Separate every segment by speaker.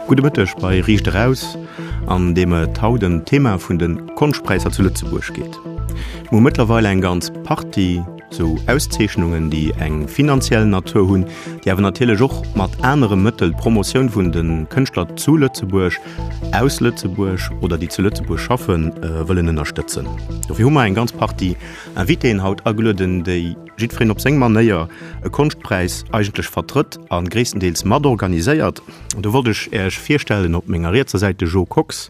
Speaker 1: Gudde Mëtteg bei Riicht Eraus, an deem et haut ëm d'Thema vun de Konschtpräisser zu Lëtzebuerg geet. Mir hu mëttlerweil eng ganz Partie sou Auszeechnungen, déi eng finanziell Natur hunn, déi awer natierlech och mat anere Mëttel d'Promotioun vun de Kënschtler zu Lëtzebuerg, aus Lëtzebuerg oder déi zu Lëtzebuerg schaffen, wëllen ënnerstëtzen. Dofir hu mer eng ganz Partie Invitéen haut agelueden, déi jiddwereen op seng Manéier e Konschtpräis eigentlech vertrëtt a gréisstendeels matorganiséiert. Do wollt ech Äech virstellen op menger rietser Säit de Jo Kox,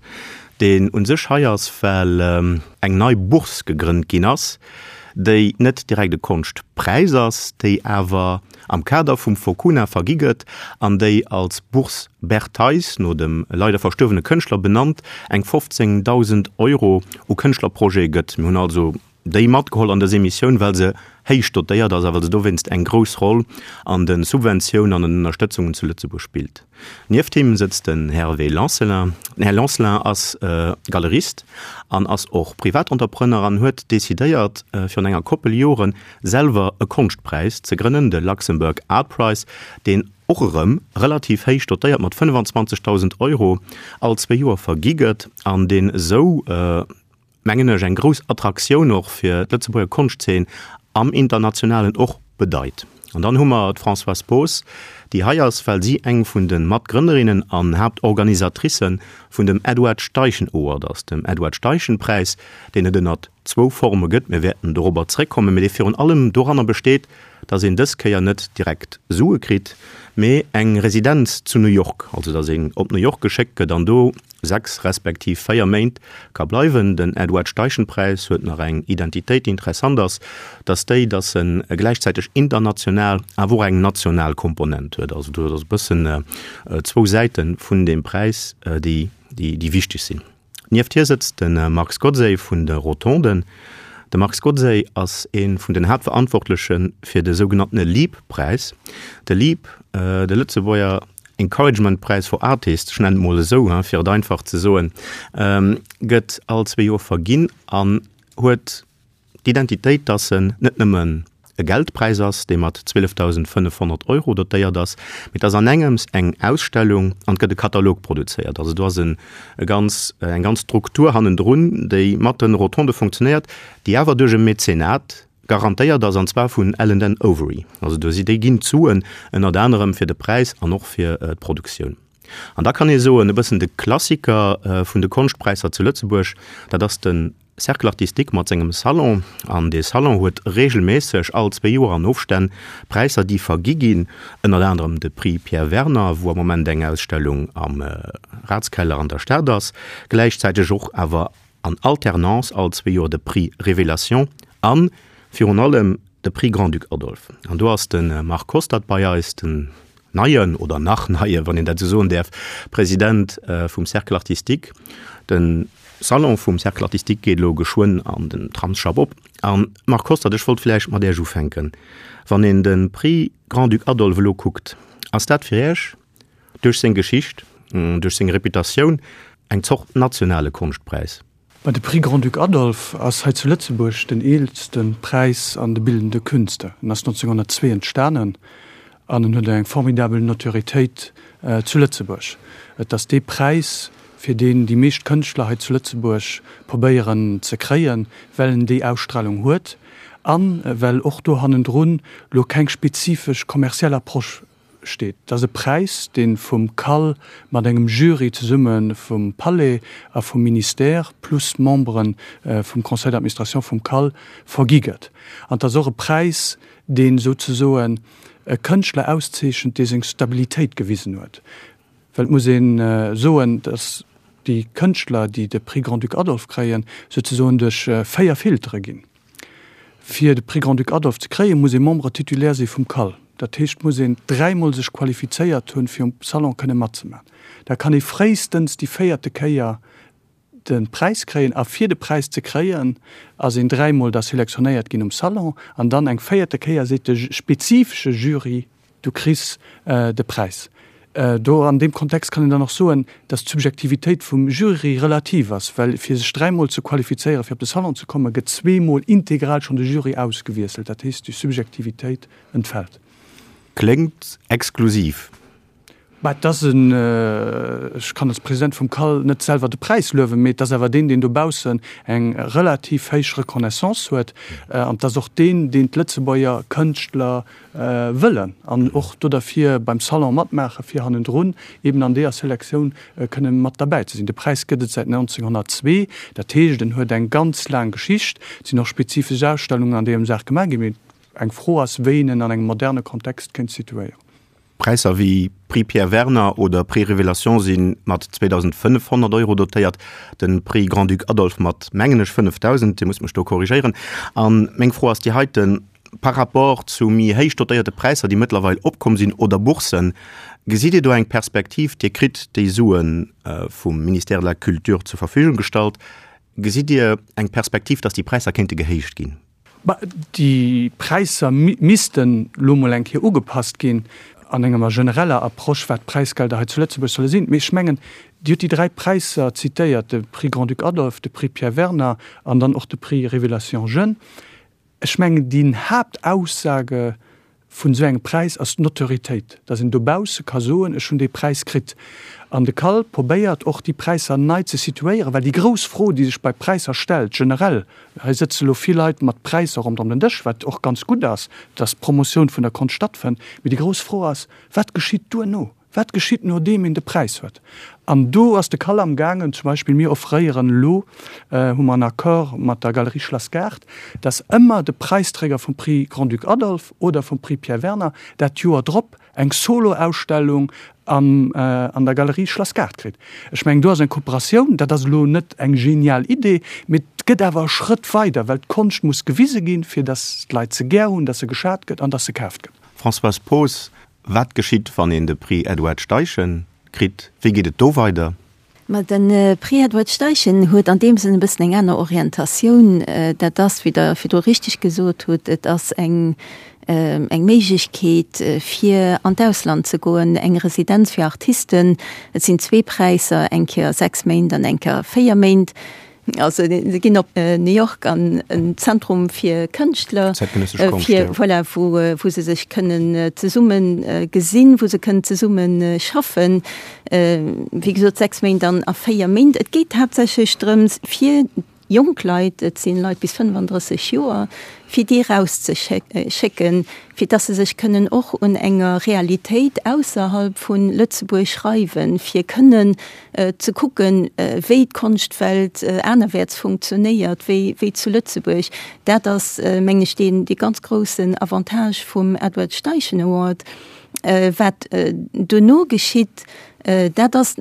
Speaker 1: deen u sech hei ass, well eng nei Bourse gegrënnt ginn ass, déi net direkt e Konschtpräis ass, déi awer am Kader vum Focuna vergi gëtt an déi als Bourse Bert Theis, no dem leider verstuerwene Kënschtler benannt, eng 15.000 Euro u Kënschtlerprojete gëtt. Mir hunn also déi matgeholl an dës Emissioun, well se héich dotéiert ass a well se dowéinst eng grouss Roll an de Subventiounen an den Ënnerstëtzungen zu Lëtzebuerg spillt. Nieft him sëtzt den Hervé Lancelin. Den Här Lancelin ass Galerist an ass och Privatentrepreneur an huet decidéiert, virun enger Koppel Joren selwer e Konschtpräis ze grënnen, de Luxembourg Art Prize, deen och erëm relativ héich dotéiert mat 25.000 Euro all zwee Joer vergi gëtt an deen esou, mengen ech, eng grouss Attraktioun och fir d'Lëtzebuerger Konschtzeen am Internationalen och bedeit. An dann hu mer d'Françoise Poos, déi hei ass, well si eng vun de Matgrënnerinnen an Haaptorganisatricë vun dem Edward Steichen Award ass, dem Edward Steichen Präis, deen et ënnert zwou Forme gëtt, mir wäerten dorobber zréckkommen, mee dee virun allem doranner besteet, dass een dës Kéier net direkt Sue kritt, mee eng Residenz zu New York, also dass een op New York geschéckt gëtt an do 6 respektiv 4 Méint ka bleiwen. Den Edward Steichen-Präis huet nach eng Identitéit, déi interessant ass, dass déi, dass en gläichzäiteg international awer och eng national Komponent huet. Also do ass e bëssen zwou Säite vun deem Präis, déi déi wichteg sinn. Nieft hir sëtzt de Marc Godsey vun de Rotonden. De Marc Godsey ass ee vun den Haaptverantwortleche fir de sougenanntene LEAP-Präis. De LEAP, de Lëtzebuerger Encouragement Präis for Artists, ech nennen et mol esou, fir et einfach ze soen, gëtt all zwee Joer verginn an huet d'Identitéit, dass en net nëmmen e Geldpräis ass, dee mat 12.500 Euro dotéiert ass, mee et ass an engems eng Ausstellung an et gëtt e Katalog produzéiert. Also do ass e ganz, eng ganz Struktur hannendrun, déi mat den Rotonde funktionéiert, déi awer duerch e Mäzenat Garantéiert ass, an zwar vun Allen Overy. Also do si, déi ginn d'Suen ënnert anerem fir de Präis an och fir d'Produktioun. An da kann ee soen, e bëssen de Klassiker vun de Konschtpräisser zu Lëtzebuerg, dat ass de Cercle artistique mat sengem Salon. An dee Salon huet reegelméisseg all zwee Joer an Ofstänn Präisser, déi vergi ginn, ënnert anerem de Prix Pierre Werner, wou am Moment eng Ausstellung am Ratskeller an der Stad ass, gläichzäiteg och awer an Alternance all zwee Joer de Prix Révélation a virun allem de Prix Grand-Duc Adolphe. An do ass de Marc Hostert bei eis, den neien, oder nach neien, wann een dat esou soen däerf, President vum Cercle artistique. De Salon vum Cercle artistique geet elo geschwënn an den Tramsschapp op. A Marc Hostert, ech wollt vläicht mat Iech ufänken. Wann een de Prix Grand-Duc Adolphe elo kuckt, ass dat fir Iech duerch seng Geschicht, duerch seng Reputatioun eng Zort nationale Konschtpräis.
Speaker 2: Ma de Prix Grand-Duc Adolphe ass hei zu Lëtzebuerg den eelste Präis an de bildende Künste. En ass 1902 entstanen an en huet eng formidabel Notoriétéit zu Lëtzebuerg. Et ass dee Präis, fir deen déi meescht Kënschtler hei zu Lëtzebuerg probéieren ze kréien, well en déi Ausstralung huet a well och do hannendrun lo keng spezifesch kommerziell Approche steet. Et ass e Präis, dee vum CAL mat engem Jury zesumme vum Palais a vum Ministère plus Membere vum Conseil d'administration vum CAL vergi gëtt. An et ass och e Präis, dee souzesoen e Kënschtler auszeechent, dee seng Stabilitéit gewisen huet. Well et muss ee soen, datt déi Kënschtler, déi de Prix Grand-Duc Adolphe kréien, souzesoen duerch 4 Filtere ginn. Fir de Prix Grand-Duc Adolphe ze kréien, muss ee Membre titulaire si vum CAL. Dat heescht, muss een dräimol sech qualifizéiert hunn, fir um Salon kënne matzemaachen. Da kann ee fréistens déi véierte Kéier de Präis kréien. A fir de Präis ze kréien, ass een dräimol da selektionéiert ginn um Salon. An dann eng véierte Kéier seet de spezifesche Jury, Du kriss de Präis. Do an deem Kontext kann een dann och soen, datt d'Subjektivitéit vum Jury relativ ass, well fir sech dräimol ze qualifizéieren, fir op de Salon ze kommen, gëtt zweemol integral schonn de Jury ausgewiesselt. Dat heescht, déi Subjektivitéit entfält.
Speaker 1: Kléngt exklusiv.
Speaker 2: Bah, et ass en, ech kann als President vum CAL net selwer de Präis luewen, mee et ass awer deen, deen dobaussen eng relativ héich Reconnaissance huet. An et ass och deen, deen d'Lëtzebuerger Kënschtler wëllen an och do derfir beim Salon matmaachen, fir hannendrun eben an deeër Selektioun kënne mat derbäi ze sinn. De Präis gëtt et säit 1902, dat heescht, en huet eng ganz laang Geschicht. Et sinn och spezifesch Ausstellungen an deem Saach gemaach ginn, mee eng Fro ass, wéi een en an engem moderne Kontext kéint situéieren.
Speaker 1: Präisser wéi Prix Pierre Werner oder Prix Révélation si mat 2.500 Euro dotéiert, de Prix Grand-Duc Adolphe mat, mengen ech, 5.000, Dir musst mech do korrigéieren. A meng Fro ass déi heiten, Par rapport zu méi héich dotéierte Präisser, déi mëttlerweil opkomm sinn, oder Bourssen, gesitt Dir do eng Perspektiv? Dir kritt déi Sue vum Ministère de la Culture zur Verfügung gestallt. Gesitt Dir eng Perspektiv, datt déi Präisser kéinte gehéicht ginn?
Speaker 2: Bah, déi Präisser missten elo mol eng Kéier ugepasst ginn an enger genereller Approche, wat d'Präisgelder hei zu Lëtzebuerg solle sinn. Mee ech mengen, Dir hutt déi 3 Präisser zitéiert, de Prix Grand-Duc Adolphe, de Prix Pierre Werner an dann och de Prix Révélation Jeune. Ech mengen, déi Haaptaussage vun esou engem Präis ass d'Notoriétéit, dass een dobausse ka soen, ech hunn dee Präis kritt. An de CAL probéiert och, déi Präisser nei ze situéieren, well déi grouss Fro, déi sech bei Präisser stellt, generell, hei sëtze elo vill Leit mat Präisser ronderëm den Dësch, wat och ganz gutt ass, dass d'Promotioun vun der Konscht stattfënnt, mee déi grouss Fro ass, Wat geschitt duerno? Wat geschitt nodeem een de Präis huet? An do ass de CAL am gaangen, zum Beispill mir offréieren elo, hu mer en Accord mat der Galerie Schlass Gaart, dass ëmmer de Präisträger vum Prix Grand-Duc Adolphe oder vum Prix Pierre Werner dat Joer drop eng Solo-Ausstellung an an der Galerie Schlass Gaart kritt. Ech mengen, do ass eng Kooperatioun, dat ass elo net eng genial Idee, mee et gëtt awer e Schrëtt weider, well d'Konscht muss gewise ginn, fir dass d'Leit se gär hunn, dass se geschat gëtt an dass se kaaft gëtt.
Speaker 1: Françoise Poos, Wat geschitt, wann een de Prix Edward Steichen kritt? Wéi geet et do weider?
Speaker 3: Ma de Prix Edward Steichen huet an deem Sënn e bëssen eng aner Orientatioun. Dat ass, wéi Der virdru richteg gesot hutt, et ass eng eng Méiglechkeet, fir an d'Ausland ze goen, eng Residenz fir Artisten. Et sinn zwee Präisser, eng Kéier sechs Méint an eng Kéier véier Méint. Also se ginn op New York an en Zentrum fir Kënschtler, fir voilà, wou, wou se sech kënnen zesumme gesinn, wou se kënnen zesumme schaffen. Wéi gesot 6 Méint an a 4 Méint. Et geet haaptsächlech drëms fir jonk Leit, et sinn Leit bis 35 Joer, fir déi erauszeschécken, fir dass se sech kënnen och un enger Realitéit ausserhalb vu Lëtzebuerg reiwen, fir kënnen ze kucken, wéi d'Konschtwelt anerwäerts funktionéiert wéi wéi zu Lëtzebuerg. Dat ass, mengen ech, deen dee ganz groussen Avantage vum Edward Steichen Award. Wat duerno geschitt, dat ass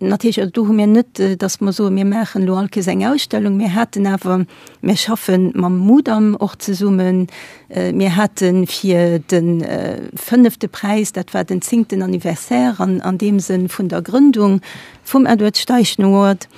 Speaker 3: natierlech, also do hu mir net, dass mer soen, mir maachen elo all Kéiers eng Ausstellung. Mir haten awer, mir schaffe mam Mudam och zesummen. Mir hate fir de fënnefte Präis, dat war den zéngten Anniversaire an an deem Sënn vun der Grëndung vum Edward Steichen Award,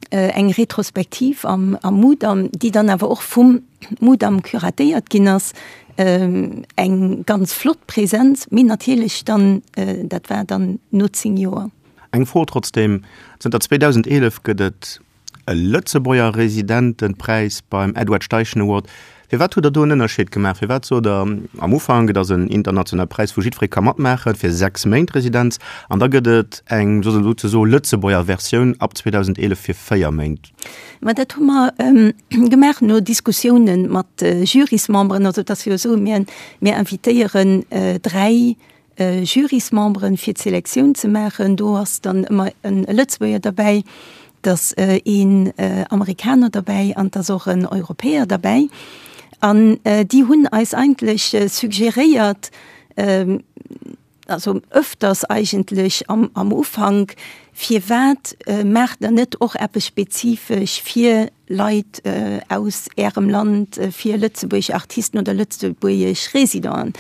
Speaker 3: eng Retrospektiv am Mudam, déi dann awer och vum Mudam curatéiert ginn ass. Eng ganz flott Präsenz, mee natierlech dann, dat war dann no 10 Joer.
Speaker 1: Eng Fro trotzdeem, Zënter 2011 gëtt et e Lëtzebuerger Residentenpräis beim Edward Steichen Award. Firwat hutt Der do en Ënnerscheed gemaach? Firwat sot Der am Ufank, et ass en internationale Präis, wou jiddweree ka matmaachen, fir 6 Méint Residenz, an da gëtt et eng souzesoe Lëtzebuerger Versioun ab 2011 fir 4 Méint?
Speaker 3: Ma dat hu mer gemaach no Diskussiounen mat Jurysmemberen. Also et ass jo esou, mir, mir invitéieren 3 Jurysmemberen, fir d'Selektioun ze maachen. Do ass dann ëmmer e Lëtzebuerger derbäi, et ass een Amerikaner derbäi an et ass och en Europäer derbäi. An déi hunn eis eigentlech suggeréiert, also öfters eigentlech am, am Ufank, firwat maacht Der net och eppes spezifesch fir Leit aus Ärem Land, fir lëtzebuergesch Artisten oder lëtzebuergesch Résidenten?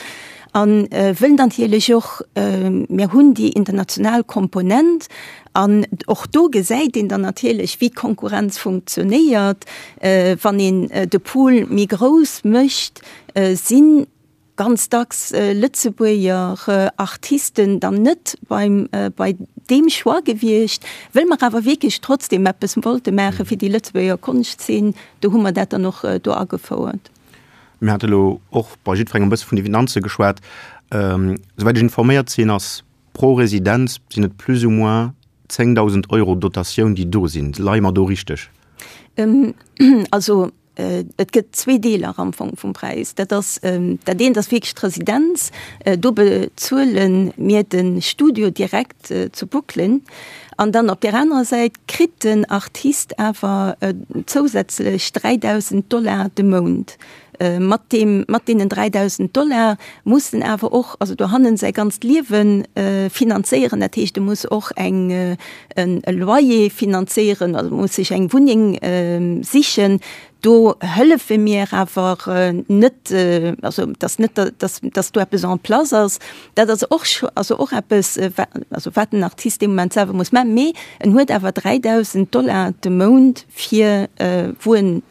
Speaker 3: A wëll natierlech och, mir hunn déi international Komponent an och do gesäit een dann natierlech, wéi d'Konkurrenz funktionéiert. Wann een de Pool méi grouss mécht, sinn ganz dacks Lëtzebuerger Artisten dann net beim, bei deem Choix gewiescht, wëll mer awer wierklech trotzdem eppes wollte maache fir déi Lëtzebuerger Konschtzeen, do hu mer dat dann och do agefouert.
Speaker 1: Mir hate lo och bei jiddwerengem e bësse vun de Finanze geschwat. Souwäit ech informéiert sinn, ass pro Residenz sinn et plus ou moins 10.000 Euro Dotatioun, déi do sinn. Leie mer do richteg?
Speaker 3: Also et gëtt zwee Deeler am Fong vum Präis. Dat ass dat eent ass wierklech d'Residenz. Do bezuele mir de Studio direkt zu Brooklyn. An dann op där anerer Säit kritt den Artist awer zousätzlech 3.000 Dollar de Mount. Mat deem, mat deenen 3.000 Dollar muss en awer och, also dohannen säi ganzt Liewe finanzéieren. Dat heescht, e muss och eng, en e Loyer finanzéieren, also muss sech eng Wunneng sichen. Do hëllefe mir awer net, also et ass net, datt, datt do eppes en place ass. Dat ass och, also och eppes, also wat den Artist dee Moment selwer muss maachen. Mee en huet awer 3.000 Dollar de Mount fir wou en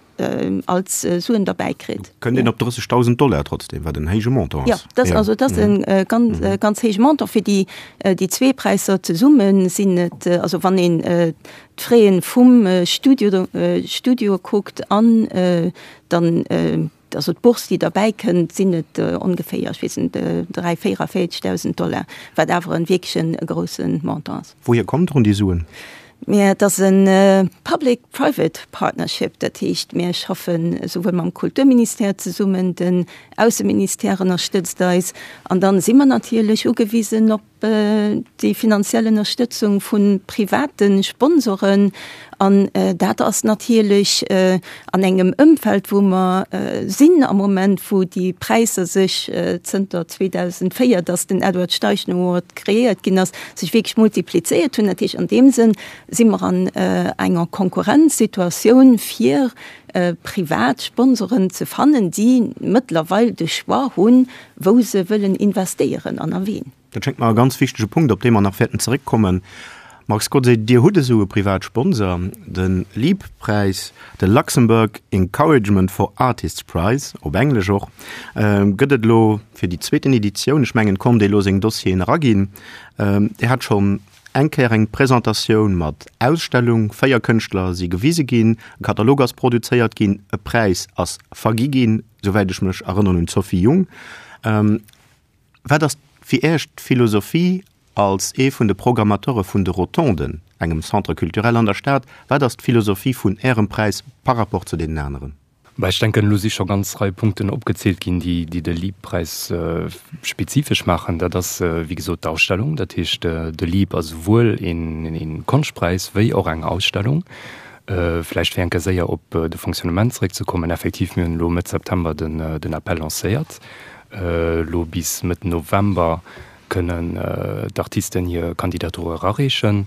Speaker 3: als Suen derbäi kritt.
Speaker 1: Kënnt een op 30.000 Dollar trotzdem, wat en héije Montant
Speaker 3: ass. Ja, dat, also dat ass e ganz, ganz héije Montant. Fir déi, déi zwee Präisser zesumme sinn et, also wann een d'Fraie vum Studio, Studio kuckt an dann, also d'Bourse, déi derbäi kënnt, sinn et ongeféier, ech weess net, 3, 44.000 Dollar, wat awer e wierklech e grousse Montant ass.
Speaker 1: Wouhier kommen drun déi Suen?
Speaker 3: Mä et ass e Public-Private Partnership, dat heescht, mir schaffen esouwuel mam Kulturministère zesummen, den Ausseministère ënnerstëtzt eis an dann si mer natierlech ugewisen op déi finanziell Ënnerstëtzung vu private Sponsoren. An dat ass natierlech an engem Ëmfeld, wou mer sinn am Moment, wou déi Präisser sech zënter 2004, datt den Edward Steichen Award kreéiert ginn ass, sech wierklech multiplizéiert hunn. Dat heescht, an deem Sënn si mer an enger Konkurrenzsituatioun, fir privat Sponsoren ze fannen, déi mëttlerweil de Choix hunn, wou se wëllen investéieren an a ween.
Speaker 1: Dat schéngt mer e ganz wichtege Punkt, op dee mer nach wäerten zeréckkommen. Marc Scott, Dir hutt esou e Privatsponsor, de LEAP-Präis, de Luxembourg Encouragement for Artists Prize, op Englesch och, gëtt et elo fir déi zweeten Editioun. Ech mengen, et konnt ee elo seng Dossieren eraginn. Dir hat schonn eng Kéier eng Presentatioun mat Ausstellung, 4 Kënschtler si gewise ginn, e Katalog ass produzéiert ginn, e Präis ass vergi ginn, souwäit ech mech erënneren, un d'Sophie Jung. Wat ass fir Iech d'Philosophie als ee vun de Programmateure vun de Rotonden, engem Centre culturel an der Stad? Wat ass d'Philosophie vun Ärem Präis par rapport zu deenen aneren?
Speaker 4: Bah, ech denken, elo si scho ganz Rei Punkten opgezielt ginn, déi, déi de LEAP-Präis spezifesch maachen. Dat ass, wéi gesot, d'Ausstellung. Dat heescht, de LEAP ass esouwuel een, een Konschtpräis wéi och eng Ausstellung. Vläicht fir eng Kéier séier op de Fonctionnement zeréckzekommen, Effektiv, mir hunn elo Mëtt September den, den Appel lancéiert. Elo bis Mëtt November kënnen d'Artisten hir Kandidatur erareechen.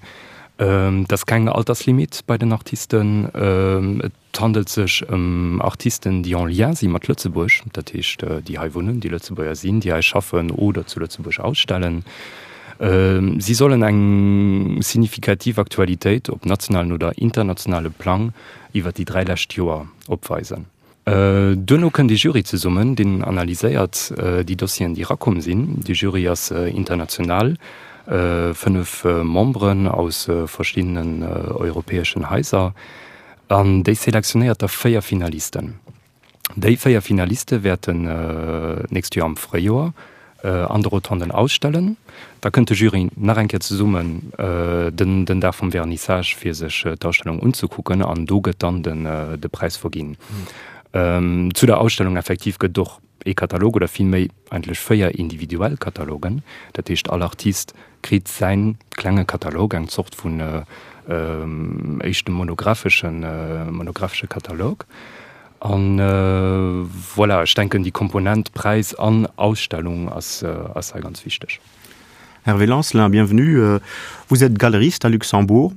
Speaker 4: Et ass keng Alterslimit bei den Artisten. Et handelt sech ëm Artisten, déi en lien si mat Lëtzebuerg, dat heescht déi hei wunnen, déi Lëtzebuerger sinn, déi hei schaffen oder zu Lëtzebuerg ausstellen. Si sollen eng signifikativ Aktualitéit op nationalen oder internationale Plang iwwer déi 3 lescht Joer opweisen. Duerno kënnt ee Jury zesummen, deen analyséiert déi Dossieren, déi erakomm sinn. De Jury ass international, 5 Memberen aus verschiddenen europäeschen Haiser, an déi selektionéiert da 4 Finalisten. Déi 4 Finaliste wäerten d'nächst Joer am Fréijoer an de Rotonden ausstellen. Da kënnt de Jury nach eng Kéier zesummen den den Dag vum Vernissage fir sech d'Ausstellung unzekucken an do gëtt dann den de Präis verginn. Zu der Ausstellung effektiv gëtt et och ee Katalog oder vill méi eigentlech 4 individuell Katalogen. Dat heescht all Artist kritt säin klenge Katalog, eng Zort vun éischte monographeschen monographesche Katalog. An voilà, ech denken déi Komponent Präis an Ausstellung ass ass hei ganz wichteg.
Speaker 1: Hervé Lancelin, bienvenue. Vous êtes galeriste à Luxembourg.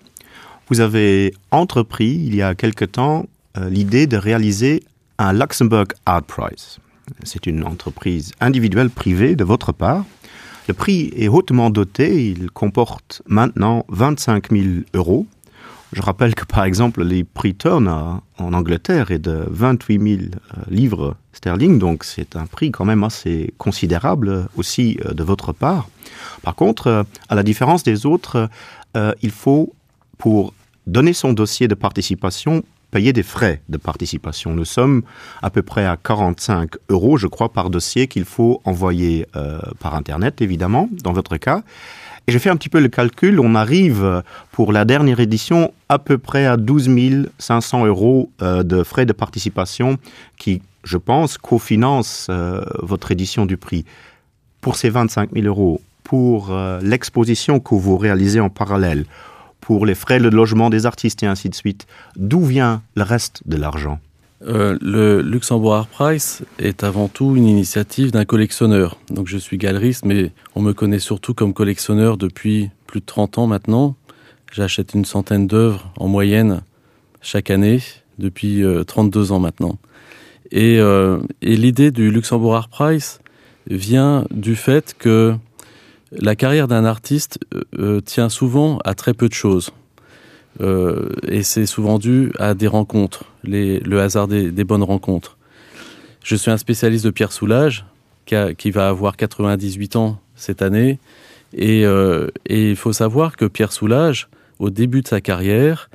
Speaker 1: Vous avez entrepris il y a quelque temps l'idée de réaliser un Luxembourg Art Prize. C'est une entreprise individuelle privée de votre part. Le prix est hautement doté, il comporte maintenant 25 000 euros. Je rappelle que par exemple les prix Turner en Angleterre est de 28 000 euh, livres sterling, donc c'est un prix quand même assez considérable aussi euh, de votre part. Par contre, euh, à la différence des autres, il faut pour donner son dossier de participation. payer des frais de participation. Nous sommes à peu près à 45 euros, je crois, par dossier qu'il faut envoyer euh, par Internet, évidemment, dans votre cas. Et j'ai fait un petit peu le calcul, on arrive pour la dernière édition à peu près à 12 500 euros euh, de frais de participation qui, je pense, cofinancent euh, votre édition du prix. Pour ces 25 000 euros, pour euh, l'exposition que vous réalisez en parallèle, pour les frais de logement des artistes et ainsi de suite, d'où vient le reste de l'argent
Speaker 5: Euh, le Luxembourg Art Prize est avant tout une initiative d'un collectionneur. Donc je suis galeriste, mais on me connaît surtout comme collectionneur depuis plus de 30 ans maintenant. J'achète une centaine d'œuvres en moyenne chaque année depuis euh, 32 ans maintenant. Et, euh, et l'idée du Luxembourg Art Prize vient du fait que la carrière d'un artiste euh, euh tient souvent à très peu de choses. Euh, et c'est souvent dû à des rencontres, les, le hasard des, des bonnes rencontres. Je suis un spécialiste de Pierre Soulages, qui, a, qui va avoir 98 ans cette année. Et, euh, et il faut savoir que Pierre Soulages, au début de sa carrière,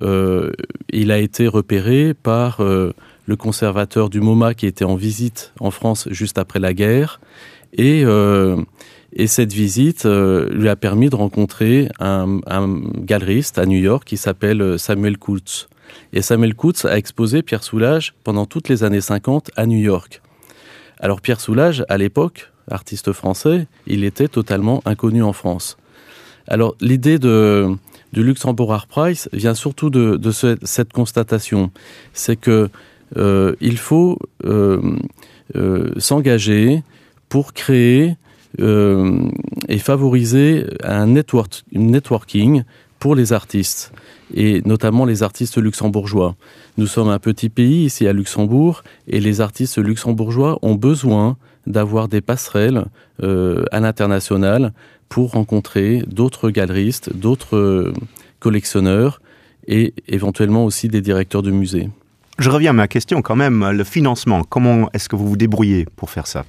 Speaker 5: euh, il a été repéré par euh, le conservateur du MoMA qui était en visite en France juste après la guerre. Et, euh, et cette visite euh, lui a permis de rencontrer un, un galeriste à New York qui s'appelle euh, Samuel Coutts. Et Samuel Coutts a exposé Pierre Soulages pendant toutes les années 50 à New York. Alors Pierre Soulages, à l'époque, artiste français, il était totalement inconnu en France. Alors l'idée de, du Luxembourg Art Prize vient surtout de, de ce, cette constatation, c'est que euh, il faut euh, euh, s'engager pour créer euh, et favoriser un network, networking pour les artistes et notamment les artistes luxembourgeois. Nous sommes un petit pays ici à Luxembourg et les artistes luxembourgeois ont besoin d'avoir des passerelles euh, à l'international pour rencontrer d'autres galeristes, d'autres euh, collectionneurs et éventuellement aussi des directeurs de musées.
Speaker 1: Je reviens à ma question quand même, le financement, comment est-ce que vous vous débrouillez pour faire ça?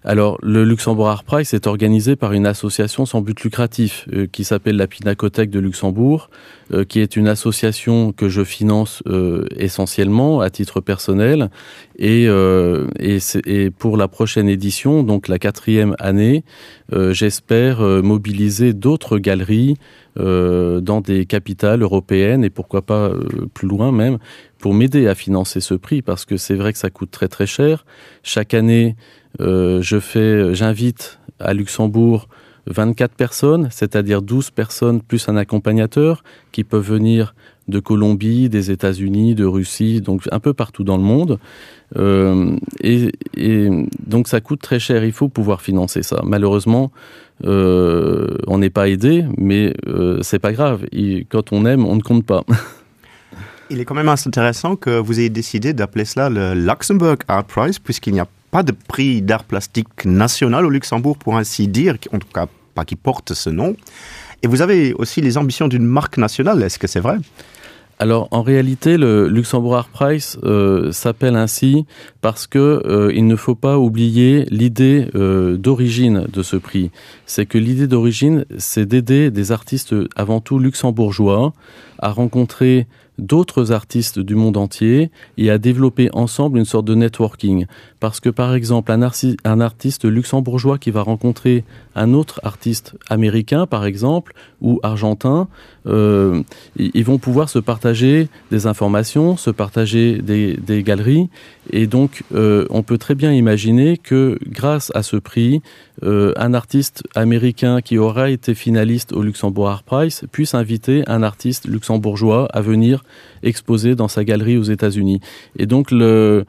Speaker 5: Alors le Luxembourg Art Prize est organisé par une association sans but lucratif euh, qui s'appelle la Pinacothèque de Luxembourg, euh, qui est une association que je finance euh, essentiellement à titre personnel et, euh, et, et pour la prochaine édition, donc la quatrième année, euh, j'espère euh, mobiliser d'autres galeries euh, dans des capitales européennes et pourquoi pas euh, plus loin même pour m'aider à financer ce prix parce que c'est vrai que ça coûte très très cher. Chaque année, euh, je fais j'invite à Luxembourg 24 personnes, c'est-à-dire 12 personnes plus un accompagnateur qui peuvent venir de Colombie, des États-Unis, de Russie, donc un peu partout dans le monde. Euh, et, et donc ça coûte très cher, il faut pouvoir financer ça. Malheureusement, euh, on n'est pas aidé, mais euh, c'est pas grave. Et quand on aime, on ne compte pas.
Speaker 1: Il est quand même assez intéressant que vous ayez décidé d'appeler cela le Luxembourg Art Prize, puisqu'il n'y a pas de prix d'art plastique national au Luxembourg, pour ainsi dire, en tout cas pas qui porte ce nom. Et vous avez aussi les ambitions d'une marque nationale, est-ce que c'est vrai?
Speaker 5: Alors en réalité, le Luxembourg Art Prize euh, s'appelle ainsi parce que euh, il ne faut pas oublier l'idée euh, d'origine de ce prix. C'est que l'idée d'origine, c'est d'aider des artistes avant tout luxembourgeois à rencontrer d'autres artistes du monde entier et à développer ensemble une sorte de networking. Parce que par exemple, un, arti un artiste luxembourgeois qui va rencontrer un autre artiste américain, par exemple, ou argentin, euh, ils vont pouvoir se partager des informations, se partager des, des galeries. Et donc, euh, on peut très bien imaginer que grâce à ce prix, euh, un artiste américain qui aura été finaliste au Luxembourg Art Prize puisse inviter un artiste luxembourgeois à venir exposer dans sa galerie aux États-Unis. Et donc l'idée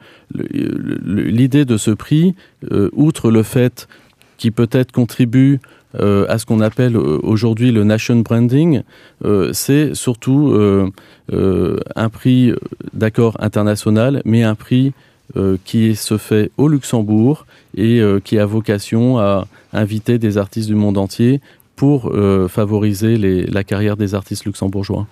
Speaker 5: de ce prix, euh, outre le fait qui peut-être contribue euh, à ce qu'on appelle euh, aujourd'hui le nation branding, euh, c'est surtout euh, euh, un prix d'accord international, mais un prix euh, qui se fait au Luxembourg et euh, qui a vocation à inviter des artistes du monde entier pour euh, favoriser les, la carrière des artistes luxembourgeois.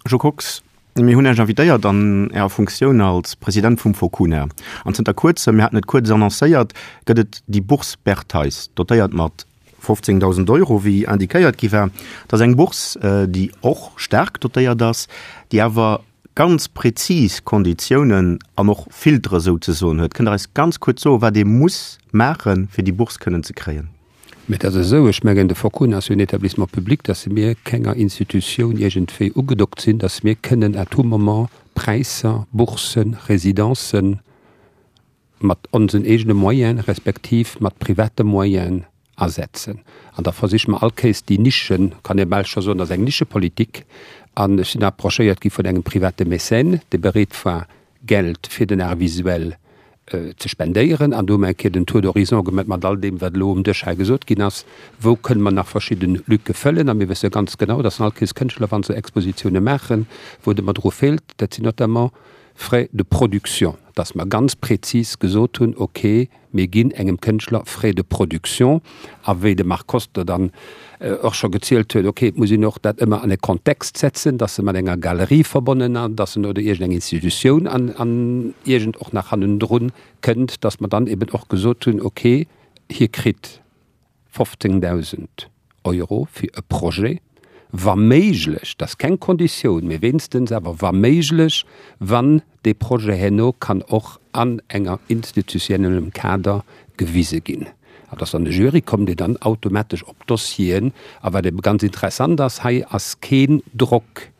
Speaker 1: Jo Kox, mir hunn Iech invitéiert an Ärer Funktioun als President vum Focuna. An zënter kuerzem, mir haten et kuerz annoncéiert, gëtt et déi Bourse Bertheis, dotéiert mat 15.000 Euro, wéi indiquéiert gi war. Dat ass eng Bourse, déi och staark dotéiert ass, déi awer. ganz prezis Konditiounen an och Filtere souzesoen huet. Kënnt Der eis ganz kuerz soen, wat ee muss maachen, fir déi Bourse kënnen ze kréien?
Speaker 6: Mä et ass esou, ech mengen, de Focun ass jo en Établissement public, dass mir kenger Institutioun iergendwéi ugedockt sinn, dass mir kënnen à tout moment Präisser, Boursen, Résidencen mat onsen eegene Moyene respektiv mat private Moyenen asetzen. An da versiche mer all Kéiers déi Nischen, kann ee bal scho soen, dat ass eng Nischepolitik, an ech sinn approchéiert gi vun engem private Mécène, dee bereet war, Geld fir den Art visuel ze spendéieren. An do hu mer eng Kéier den Tour d'horizon gemat mat all deem, wat elo um Dësch hei gesot ginn ass, Wou kënne mer nach verschidde Lücke fëllen? A mir wësse ganz genau, dass all Kéiers Kënschtler, wa se Expositioune maachen, wou et ëmmer dru feelt, dat sinn notamment Frais de production, dass mer ganz prezis gesot hunn, okay, Mir ginn engem Kënschtler Frais de production. A wéi de Marc Koster dann och scho gezielt huet, okay, et muss een och dat ëmmer an e Kontext setzen, dass e mat enger Galerie verbonnen ass, dass en oder iergendeng Institutioun an, an iergend och nach hannendrun kënnt, dass mer dann eben och gesot hunn, okay, hie kritt 15.000 Euro fir e Projet, wa méiglech, dat ass keng Konditioun, mee wéinstens awer wa méiglech, wann dee Projet herno kann och an enger institutionnellem Kader gewise ginn. An dass dann e Jury kommt, deen dann automatesch op d'Dossieren, a wat ebe ganz interessant ass, hei ass keen Drock,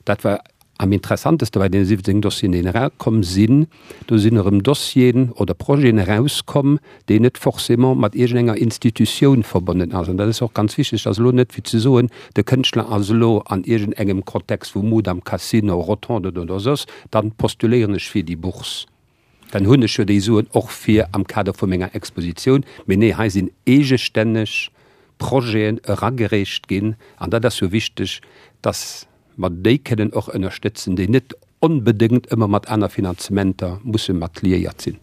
Speaker 6: Dat war am interessanteste bei deene 17 Dossieren, déi erakomm sinn. Do sinn erëm Dossieren oder Projeten erauskomm, déi net forcément mat iergendenger Institutioun verbonnen ass. An dat ass och ganz wichteg, dat ass elo net fir ze soen, de Kënschtler ass elo an iergendengem Kontext vu Mudam, Casino, Rotonde oder soss, dann postuléieren ech fir déi Bourse. Dann hunn ech jo déi Suen och fir am Kader vu menger Expositioun. Mee nee, hei sinn eegestänneg Projeten eragereecht ginn. An dat ass jo wichteg, dass mer déi kënnen och ënnerstëtzen, déi net onbedéngt ëmmer mat aner Finanzementer musse mat liéiert sinn.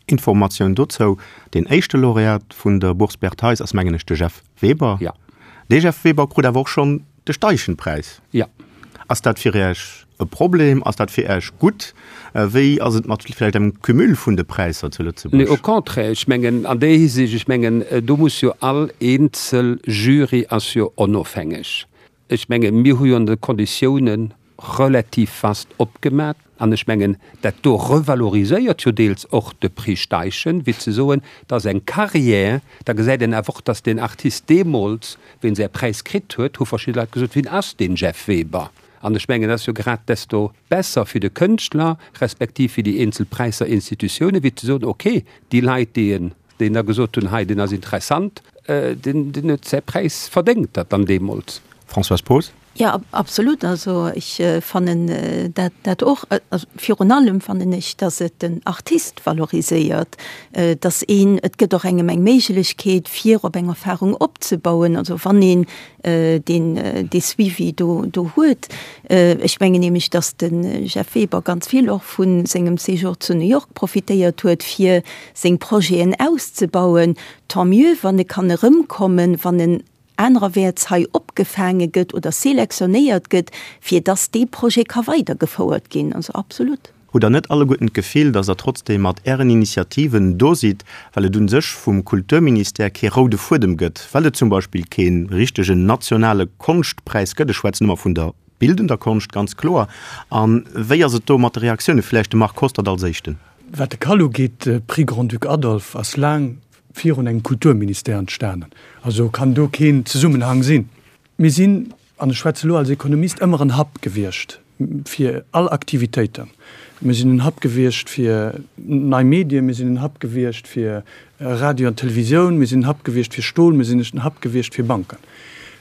Speaker 1: Informatioun dozou, Deen éischte Laureat vun der Bourse Bert Theis ass, mengen ech, de Jeff Weber.
Speaker 6: Jo.
Speaker 1: Dee Jeff Weber krut awer och schonn De Steichen-Präis,
Speaker 6: Ja.
Speaker 1: Ass dat fir Iech e Problem? Ass dat fir Iech gutt? Wéi ass et mat vläicht engem Cumul vun de Präisser zu Lëtzebuerg?
Speaker 6: Nee, au contraire, ech mengen an där Hisiicht, ech mengen do muss jo all eenzel Jury ass jo onofhängeg. Ech menge mir hu jo an de Konditiounen relativ vast opgemat. An ech mengen, dat do revaloriséiert jo deels och de Prix Steichen, wéi ze soen, dat ass eng Carrière. Da gesäit een awer och, dass deen Artist deemools, wéi en säi Präis kritt huet, hu verschidde Leit gesot, Wien ass deen Jeff Weber? An ech mengen, dat ass jo grad desto besser fir de Kënschtler, respektiv fir déi eenzel Präisser, Institutiounen, wéi ze soen, okay, déi Leit, déi en, déi da gesot hunn, hei, deen ass interessant, deen, deen huet säi Präis verdéngt, dat dann deemools.
Speaker 1: Françoise Poos.
Speaker 3: Jo, absolut. Also ech fannen dat dat och. Also virun allem fannen ech, datt et den Artist valoriséiert, datt een, et gëtt och engem eng Méiglechkeet fir op eng Erfahrung opzebauen, also wann een deen dee Suivi do do huet. Ech mengen nämlech, datt de Jeff Weber ganz vill och vu sengem Séjour zu New York profitéiert huet, fir seng Projeten auszebauen. Tant mieux, wann e kann erëmkommen, wann en anererwäerts hei opgefaange gëtt oder selektionéiert gëtt, fir dass dee Projet ka weidergefouert ginn. Also absolut.
Speaker 1: Hutt Der net alleguerten d'Gefill, dass Der trotzdeem mat Ären Initiativen do sidd, well et un sech vum Kulturministère kee roude Fuedem gëtt, well et zum Beispill kee richtegen nationale Konschtpräis gëtt? Ech schwätzen ëmmer vun der bildender Konscht, ganz kloer. A wéi ass et do mat de Reaktiounen? Vläicht de Marc Hostert als Éischten.
Speaker 2: Wat de Cal ugeet, de Prix Grand-Duc Adolphe ass laang virun engem Kulturministère entstanen. Also kann do keen Zesummenhang sinn. Mir sinn, an ech schwätze elo als Ekonomist, ëmmer en Hub gewiescht fir all Aktivitéiten. Mir sinn en Hub gewiescht fir nei Medien, mir sinn en Hub gewiescht fir Radio an Televisioun, mir sinn en Hub gewiescht fir Stol, mir sinn en Hub gewiescht fir Banken.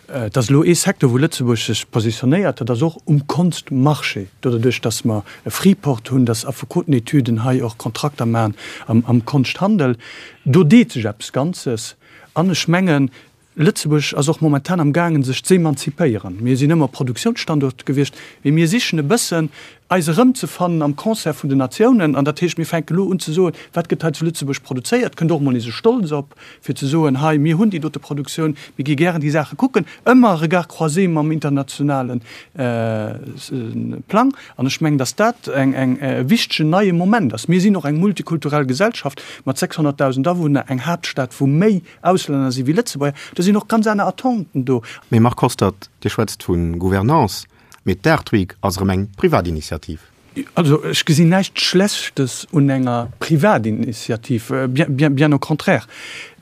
Speaker 2: Et ass elo ee Secteur, wou Lëtzebuerg sech positionéiert, dat ass och um Konstmarché, doduerch datt mer e Freeport hunn, datt Affekotenetüden hei och Kontrakter maachen am Konschthandel. Do deet sech eppes Ganzes. An ech mengen, Lëtzebuerg ass och momentan am gaangen, sech z'emanzipéieren. Mir sinn ëmmer Produktiounsstanduert gewiescht, mee mir sichen e bëssen, eis erëmzefannen am Concert vun den Natiounen. An dat heescht, mir fänken elo un ze soen, wat gëtt hei zu Lëtzebuerg produzéiert? Kënnt och emol nees e Stolz op. fir ze soen, hei, mir hunn déi dote Produktioun, mir gi gären déi Saache kucken, ëmmer Regard croisé mam internationale Plang. An ech mengen, datt dat e wichtegen neie Moment ass. Mir sinn och eng multikulturell Gesellschaft mat 600.000 Awunner, eng Haaptstad, wou méi Auslänner si wéi Lëtzebuerger. Do sinn och ganz aner Attenten do.
Speaker 1: Mee Marc Hostert, Dir schwätzt vu Gouvernance. Mee d'Art Week ass erëm eng Privatinitiativ.
Speaker 2: Also ech gesinn näischt Schlechtes un enger Privatinitiativ, bien, bien au contraire.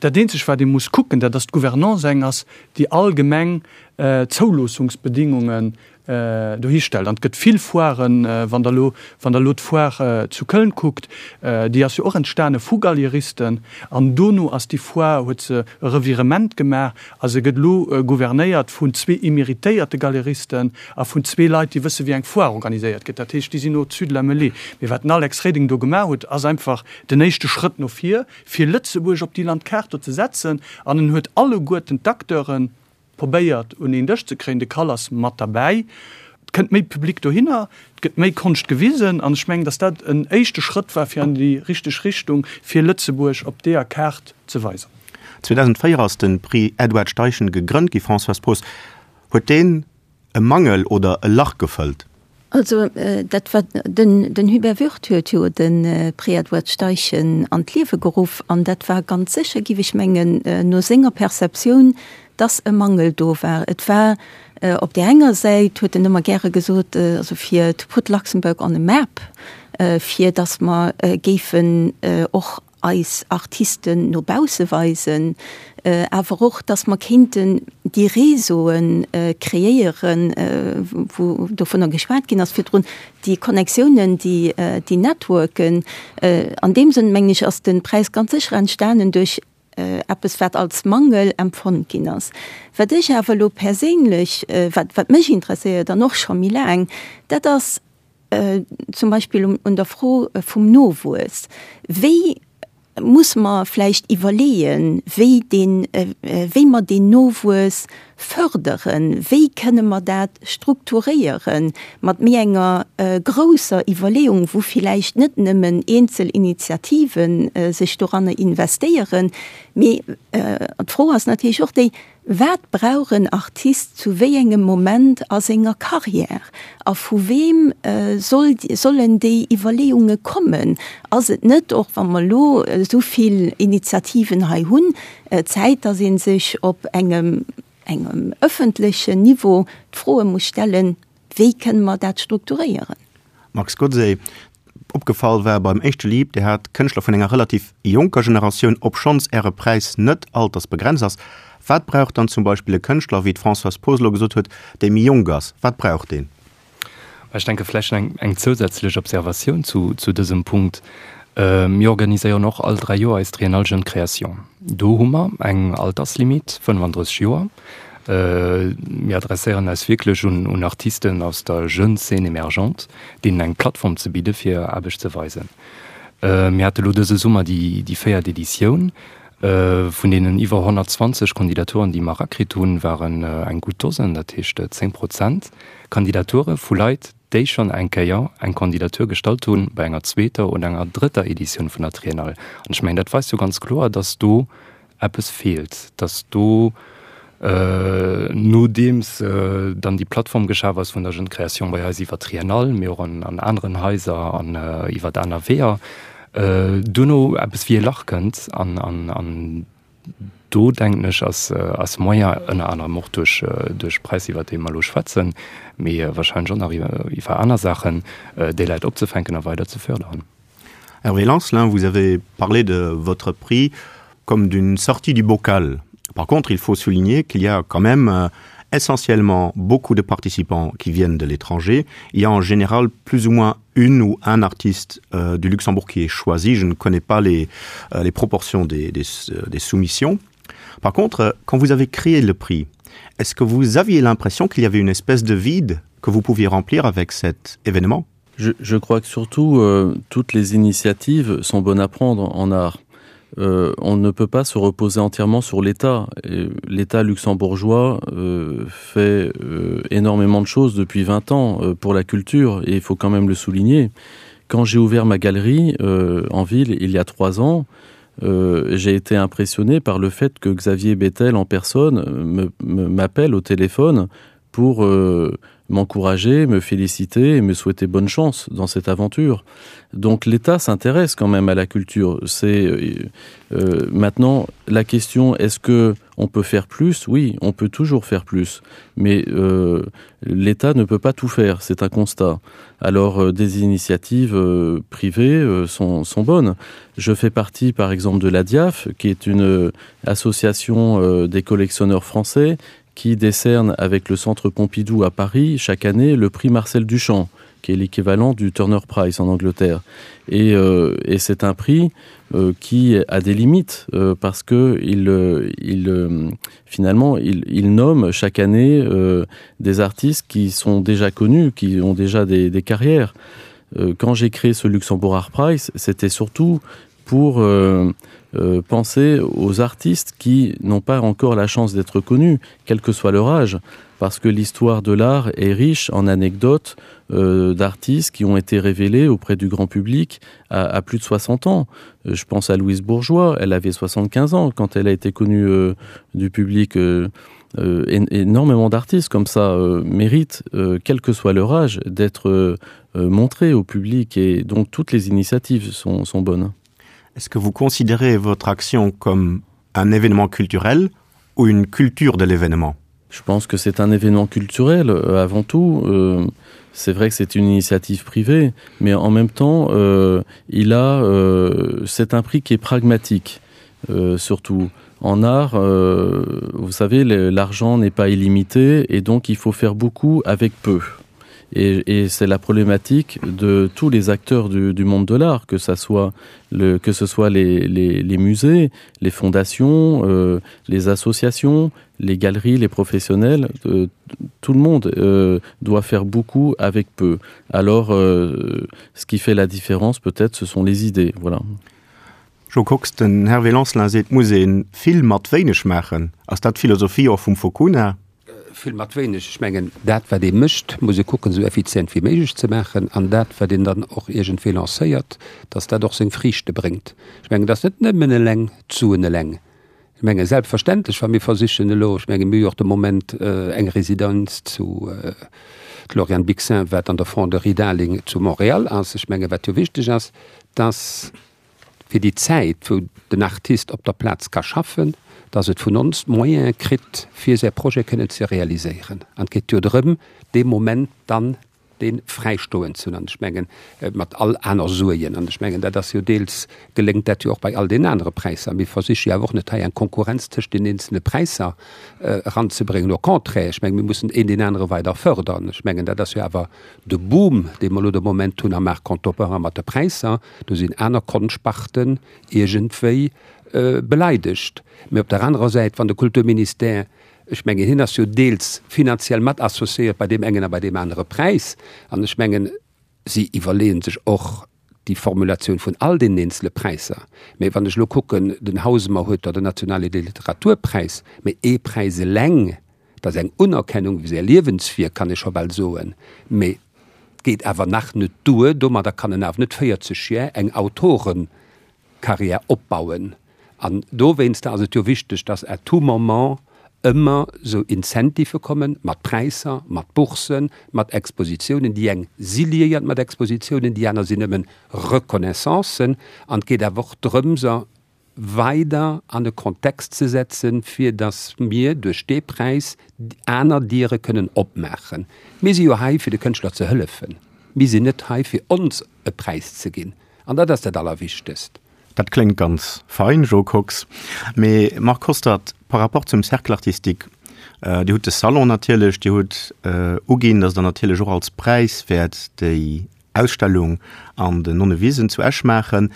Speaker 2: Dat eenzegt wat ee muss kucken, dat ass d'Gouvernance eng ass, déi allgemeng Zouloossungsbedingungen dohi stellt. An et gëtt vill Foiren, wann Der elo, wann Der elo d'Foire zu Köln kuckt, déi ass jo och entstane vu Galeristen an dono ass déi Foire, huet se e Revirement gemaach a se gëtt elo gouvernéiert vun zwee emeritéierte Galeristen a vun zwee Leit, déi wësse wéi eng Foire organiséiert gëtt. Dat heescht, déi sinn au-dessus de la mêlée. Mee wat den Alex Reding do gemaach huet, ass einfach den éischte Schrëtt no vir, fir Lëtzebuerg op déi Landkaart do ze setzen an en huet alleguerten d'Acteuren, Probéiert un een Dësch ze kréien. De Kall ass mat derbäi. Et kënnt méi Public dohinner, et gëtt méi Konscht gewisen an ech mengen, datt dat en éischte Schrëtt war fir an déi richteg Richtung, fir Lëtzebuerg op deeër Kaart ze weisen.
Speaker 1: 2004 ass de Prix Edward Steichen gegrënnt gi. Françoise Poos, huet deen e Mangel oder e Lach gefëllt?
Speaker 3: Also dat war den, den Hubert Würth huet jo de Prix Edward Steichen an d'Liewe geruff an dat war ganz sécher, giff ech mengen, no senger Perceptioun, dass e Mangel do war. Et war op där enger Säit, huet en ëmmer gäre gesot, also fir to put Luxembourg on a map, fir dass mer géifen och eis Artisten no bausse weisen, awer och, dass mer kéinten déi Réseaue kreéieren, wou dovunner geschwat ginn ass virdrun, déi Connectiounen, déi, déi Networken. An deem Sënn, mengen ech, ass de Präis ganz sécher entstanen duerch eppes, wat als Mangel empfonnt ginn ass. Wat ech awer elo perséinlech, wat, wat mech interesséiert an och scho méi laang, dat ass, zum Beispill un der Fro vum Nowuess, wéi muss mer vläicht iwwerleeën, wéi deen, wéi mer deen Nowuess förderen, wéi kënne mer dat strukturéieren mat méi enger grousser Iwwerleeung, wou villäicht net nëmmen eenzel Initiative sech doranner investéieren, mee d'Fro ass natierlech och déi, Wat brauch en Artist zu wéi engem Moment a senger Carrière? A vu weem soll, sollen déi Iwwerleeunge kommen? Ass et net, och wa mer elo esou vill Initiativen hei hunn, Zäit, datt ee sech op engem, engem ëffentlechen Niveau d'Froe muss stellen, Wéi kënne mer dat strukturéieren?
Speaker 1: Max Godsey, Opgefall war beim éischte Lieb, Dir hat Kënschtler vun enger relativ jonker Generatioun, obschonns Äre Präis net altersbegrenzt ass. Wat brauch dann zum Beispill e Kënschtler, wéi d'Françoise Poos elo gesot huet, dee méi jonk ass? Wat brauch deen?
Speaker 4: Ech denke vläicht eng, eng zousätzlech Observatioun zu, zu dësem Punkt. Mir organiséieren och all dräi Joer eis Triennale Jeune Création. Do hu mer eng Alterslimit, 35 Joer. Mir adresséieren eis wierklech un Artisten aus der jeune Scène émergente, deenen eng Plattform ze bidde fir hir Aarbecht ze weisen. Mir hate lo dëse Summer déi véiert Editioun. Vun deenen iwwer 120 Kandidaturen, déi mer erakritt hunn, waren eng gutt Dosen, dat heescht 10 Prozent Kandidature vu Leit, déi schonn eng Kéier eng Kandidatur gestallt hunn bei enger zweeter oder enger drëtter Editioun vun der Triennale. An ech mengen, dat weist jo ganz kloer, dass do eppes feelt, dass do, nodeems dann déi Plattform geschaf ass vun der Jeune Création bei eis iwwer Triennale, mee och an aneren Haiser an iwwer aner Weeër, duerno eppes wéi e Lach kënnt an do, denken ech, ass Moyen, ënner anerem och duerch duerch Präis, iwwer déi mer elo schwätzen, mee wahrscheinlech och nach iwwer aner Saachen, déi Leit opzefänken a weider ze förderen.
Speaker 1: Hervé Lancelin, vous avez parlé de votre prix comme d'une sortie du bocal. Par contre, il faut souligner qu'il y a quand même euh, essentiellement beaucoup de participants qui viennent de l'étranger. Il y a en général plus ou moins une ou un artiste euh, du Luxembourg qui est choisi. Je ne connais pas les, euh, les proportions des, des, euh, des soumissions. Par contre, euh, quand vous avez créé le prix, est-ce que vous aviez l'impression qu'il y avait une espèce de vide que vous pouviez remplir avec cet événement
Speaker 5: Je, je crois que surtout euh, toutes les initiatives sont bonnes à prendre en art. Euh, on ne peut pas se reposer entièrement sur l'État. L'État luxembourgeois euh, fait euh, énormément de choses depuis 20 ans euh, pour la culture et il faut quand même le souligner. Quand j'ai ouvert ma galerie euh, en ville il y a trois ans, euh, j'ai été impressionné par le fait que Xavier Bettel en personne m'appelle au téléphone pour euh, m'encourager, me féliciter et me souhaiter bonne chance dans cette aventure. Donc l'État s'intéresse quand même à la culture. C'est euh, euh, maintenant la question est-ce que on peut faire plus Oui, on peut toujours faire plus, mais euh, l'État ne peut pas tout faire, c'est un constat. Alors euh, des initiatives euh, privées euh, sont, sont bonnes. Je fais partie par exemple de la DIAF, qui est une euh, association euh, des collectionneurs français qui décerne avec le centre Pompidou à Paris chaque année le prix Marcel Duchamp qui est l'équivalent du Turner Prize en Angleterre. Et, euh, et c'est un prix euh, qui a des limites euh, parce que il, euh, il euh, finalement il, il nomme chaque année euh, des artistes qui sont déjà connus, qui ont déjà des, des carrières. Euh, quand j'ai créé ce Luxembourg Art Prize, c'était surtout pour euh, euh, penser aux artistes qui n'ont pas encore la chance d'être connus, quel que soit leur âge, parce que l'histoire de l'art est riche en anecdotes euh, d'artistes qui ont été révélés auprès du grand public à, à plus de 60 ans. Euh, je pense à Louise Bourgeois, elle avait 75 ans quand elle a été connue euh, du public. Euh, euh, énormément d'artistes comme ça euh, méritent, euh, quel que soit leur âge, d'être euh, euh, montrés au public et donc toutes les initiatives sont, sont bonnes.
Speaker 1: Est-ce que vous considérez votre action comme un événement culturel ou une culture de l'événement
Speaker 5: Je pense que c'est un événement culturel euh, avant tout. Euh, c'est vrai que c'est une initiative privée, mais en même temps, euh, il a euh, c'est un prix qui est pragmatique euh, surtout. En art, euh, vous savez, l'argent n'est pas illimité et donc il faut faire beaucoup avec peu. Et, et c'est la problématique de tous les acteurs du, du monde de l'art, que, ça soit le, que ce soit les, les, les musées, les fondations, euh, les associations, les galeries, les professionnels, euh, tout le monde euh, doit faire beaucoup avec peu. Alors euh, ce qui fait la différence peut-être, ce sont les idées. Voilà.
Speaker 1: Jo Kox, Den Hervé Lancelin seet, et muss ee vill mat wéineg maachen. Ass dat d'Philosophie och vum Focuna?
Speaker 6: Vill mat wéineg. Ech mengen, dat wat ee mécht, muss ee kucken, esou effizient wéi méiglech ze maachen an dat wat een dann och iergendwéi lancéiert, datt dat och seng Friichte bréngt. Ech mengen, et ass net nëmmen eleng d'Suen eleng. Ech menge selbstverständlech, wa mir versichen elo, ech menge mir hu jo och de Moment eng Residenz zu d'Lauriane Bixin, wat an der Fonderie Darling zu Montréal ass. Ech menge wat jo wichteg ass, datt fir déi Zäit, wou den Artist op der Plaz ka schaffen, dass et vun ons d'Moyene kritt, fir säi Projet kënnen ze realiséieren. An et geet jo drëm, dee Moment dann dee fräistoen ze hunn. An ech mengen, mat all aner Suergen, an ech mengen, dat ass jo deels, geléngt dat jo och bei all deenen anere Präisser. Mir versiche jo awer och net hei eng Konkurrenz tëscht den eenzelne Präisser eranzebréngen. Au contraire, ech mengen, mir mussen een deen anere weider fördern. Ech mengen, dat ass jo awer de Boom, dee mer elo de Moment hunn am Art contemporain mat de Präisser. Do sinn aner Konschtsparten iergendwéi beleidegt. Mee op der anerer Säit, wann de Kulturministère, ech mengen, hien ass jo deels finanziell mat associéiert bei deem engen a bei deem anere Präis, an ech mengen, si iwwerleeën sech och déi Formulatioun vun all deenen eenzele Präisser. Mee wann ech elo kucken, den Hausemer huet da den nationale Literaturpräis, mee ee Präis eleng, dat ass eng Unerkennung fir säi Liewenswierk, kann ee scho bal soen, mee geet awer nach net duer. Domadder kann en awer net 40 Jär eng Autorenkarriär opbauen. An dowéinster ass et jo wichteg, dass à tout moment ëmmer esou Incentivë kommen, mat Präisser, mat Boursen, mat Expositiounen. Déi eng si liéiert mat Expositiounen, déi aner sinn nëmmen Reconnaissancen. An et geet awer och drëms, weider an e Kontext ze setzen, fir datt mir duerch dee Präis aner Diere kënnen opmaachen. Mir si jo hei, fir de Kënschtler ze hëllefen. Mir sinn net hei, fir ons e Präis ze ginn. An dat ass dat Allerwichtegst.
Speaker 1: Dat kléngt ganz fein, Jo Kox. Mee Marc Hostert, par rapport zum Cercle artistique, Dir hutt de Salon natierlech, Dir hutt uginn, datt Der natierlech och als Präis wäert déi Ausstellung an den Nonnewisen zu Esch maachen.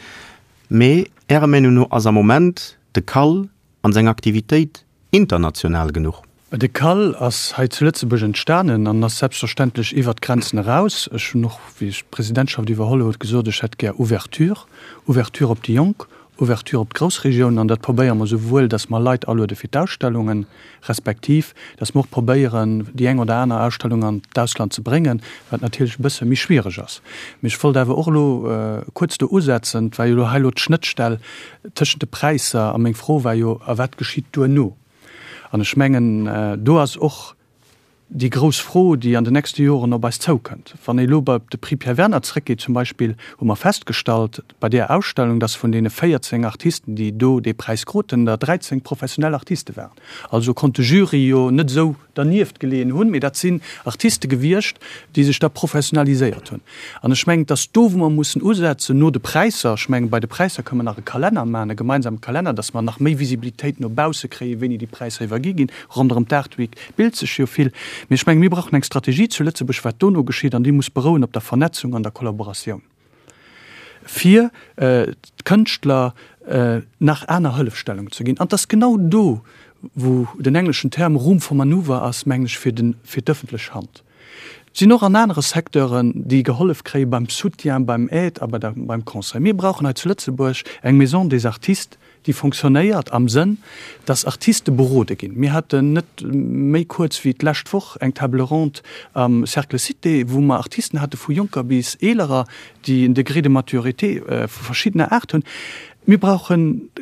Speaker 1: Mee Ärer Meenung no ass am Moment de CAL an seng Aktivitéit international genuch?
Speaker 2: De CAL ass hei zu Lëtzebuerg entstanen an ass selbstverständlech iwwert d'Grenzen eraus. Ech hunn och, wéi ech d'Presidentschaft iwwerholl huet, gesot, ech hätt gär Ouverture, Ouverture op déi Jonk, Ouverture op d'Groussregioun. An dat probéiere mer souwuel, datt mer Leit aluede fir d'Ausstellungen, respektiv datt mer och probéieren, déi eng oder aner Ausstellung an d'Ausland ze bréngen, wat natierlech e bësse méi schwiereg ass. Mee ech wollt awer och elo kuerz do usetzen, et war jo elo hei elo d'Schnëttstell tëschent de Präisser a meng Fro war jo, A wat geschitt duerno? An ech mengen, do ass och. déi grouss Fro, déi an den nächste Joren op eis zoukënnt. Wann ee elo op de Prix Pierre Werner zrëckgeet zum Beispill, hu mer festgestallt bei deer Ausstellung, dass vun deene 14 Artisten, déi do dee Präis kruten, der 13 professionell Artiste waren. Also konnt de Jury jo net esou dernieft geleeën hunn, mee dat sinn Artiste gewiescht, déi sech da professionaliséiert hunn. An ech mengen, et ass do, wou mer mussen usetzen, no de Präisser. Ech mengen, bei de Präisser kënnen mer nach e Kalenner maachen, e gemeinsame Kalenner, dass mer nach méi Visibilitéit no bausse kréien, wéini déi Präisser iwwergi ginn. Ronderëm d'Art Week bilt sech jo vill. Mee ech mengen, mir brauchen eng Strategie zu Lëtzebuerg, wat dono geschitt, an déi muss berouen op der Vernetzung an der Kollaboratioun, fir d'Kënschtler nach aner Hëllefstellung ze ginn. An et ass genau do, wou den engleschen Term Room for manoeuvre ass, mengen ech, fir d'ëffentlech Hand. Et sinn och an anere Secteuren, déi gehollef kréie beim Soutien, beim Aide a beim Conseil. Mir brauchen hei zu Lëtzebuerg eng Maison des artistes, déi fonctionnéiert am Sënn, dass Artiste berode ginn. Mir haten net méi kuerz wéi d'lescht Woch eng Table ronde am Cercle Cité, wou mer Artisten hate vu Jonker bis Eelerer, déi en Degré de maturité vu verschiddener Aart hunn. Mir brauche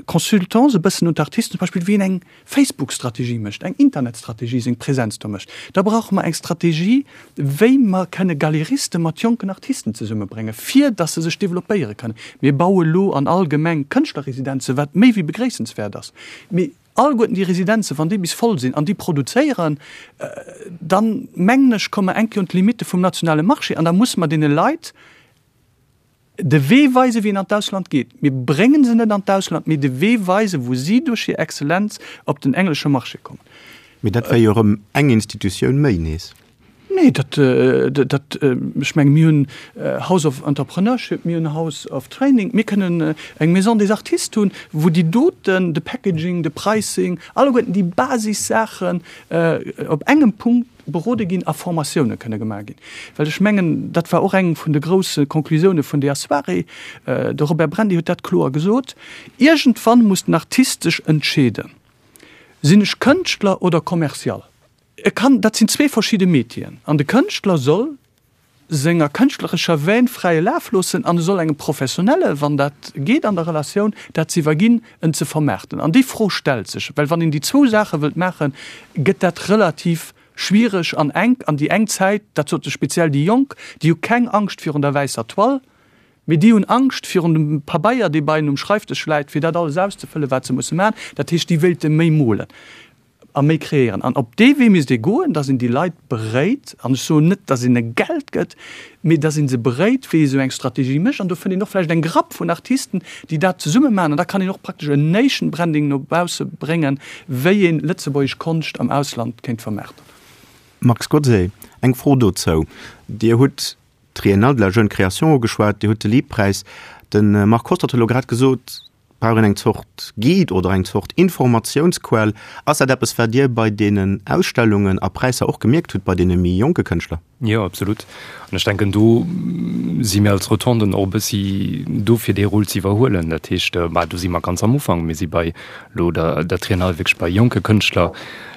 Speaker 2: Consultants e bëssen un d'Artisten, zum Beispill wéi een eng Facebook-Strategie mécht, eng Internetstrategie, seng Präsenz do mécht. Da brauche mer eng Strategie, wéi mer kënne Galeriste mat jonken Artisten zesummebréngen, fir dass se sech developpéiere kënnen. Mir baue lo an all Gemeng Kënschtlerresidenzen, wat méi wéi begréissenswäert ass. Mee alleguerten déi Residenzen, wann déi bis voll sinn an déi produzéieren, dann, mengen ech, komme mer eng Kéier un d'Limitte vum nationale Marché an da musse mer deene Leit, De Wee weisen, wéi een an d'Ausland geet. Mir bréngen se net an d'Ausland, mee de Wee weisen, wou si duerch hir Exzellenz op den englesche Marché kommen.
Speaker 1: Mee dat wär jo erëm eng Institutioun méi nees.
Speaker 2: Nee, dat, dat, ech menge mir hunn House of Entrepreneurship, mir hunn House of Training, mir kënnen eng Maison des Artistes hunn, wou déi doten, de Packaging, de Pricing, alleguerten déi Basissaachen op engem Punkt, berode ginn a Formatioune kënne gemaach ginn. Well ech mengen, dat war och eng vun de grousse Conclusioune vun deeër Soirée, de Robert Brendy huet dat kloer gesot, Iergendwann muss den Artist sech entscheeden, Sinn ech Kënschtler oder Commercial? E kann, dat sinn zwee verschidde Métieren an de Kënschtler soll senger kënschtlerescher Vène fräie Laf loossen an e soll engem Professionelle, wann dat geet an der Relatioun, dat ze iwwerginn, en ze vermaarten. An déi Fro stellt sech, well wann een déi zwou Saache wëllt maachen, gëtt dat relativ schwiereg an enk. An déi eng Zäit, dat sote speziell déi Jonk, déi hu keng Angscht virun der wäisser Toile, mee déi hunn Angscht virun dem Pabeier, dee bei hinnen um Schreifdësch läit, fir dat alles auszefëllen, wat se musse maachen. Dat heescht, déi wéilte méi molen. A méi kreéieren. An op dee Wee misst ee goen, dass een déi Leit beréit, an ech soen net, dass een e Geld gëtt, mee dass ee se beréit, wéi ee sou eng Strategie mécht. An do fënnt een och vläicht eng Grapp vun Artisten, déi dat zesumme maachen. An da kann een och praktesch en Nation Branding no bausse bréngen, wéi ee lëtzebuergesch Konscht am Ausland kéint vermaarten.
Speaker 1: Max Gotzé, Eng Fro dozou. Dir hutt d'Triennale de la jeune création ugeschwat, Dir hutt de Liebpräis. De Marc Hostert huet elo grad gesot, Brauch een eng Zort Guide oder eng Zort Informatiounsquell? Ass dat eppes, wat Dir bei deenen Ausstellungen a Präisser och gemierkt hutt bei deene méi jonke Kënschtler?
Speaker 4: Jo, absolut. An ech denken, do si mir als Rotonden och e bëssi do, fir dee Rôle ze iwwerhuelen. Dat heescht, bah, do si mer ganz am Ufank. Mir si bei elo der der Triennale wierklech bei jonke Kënschtler,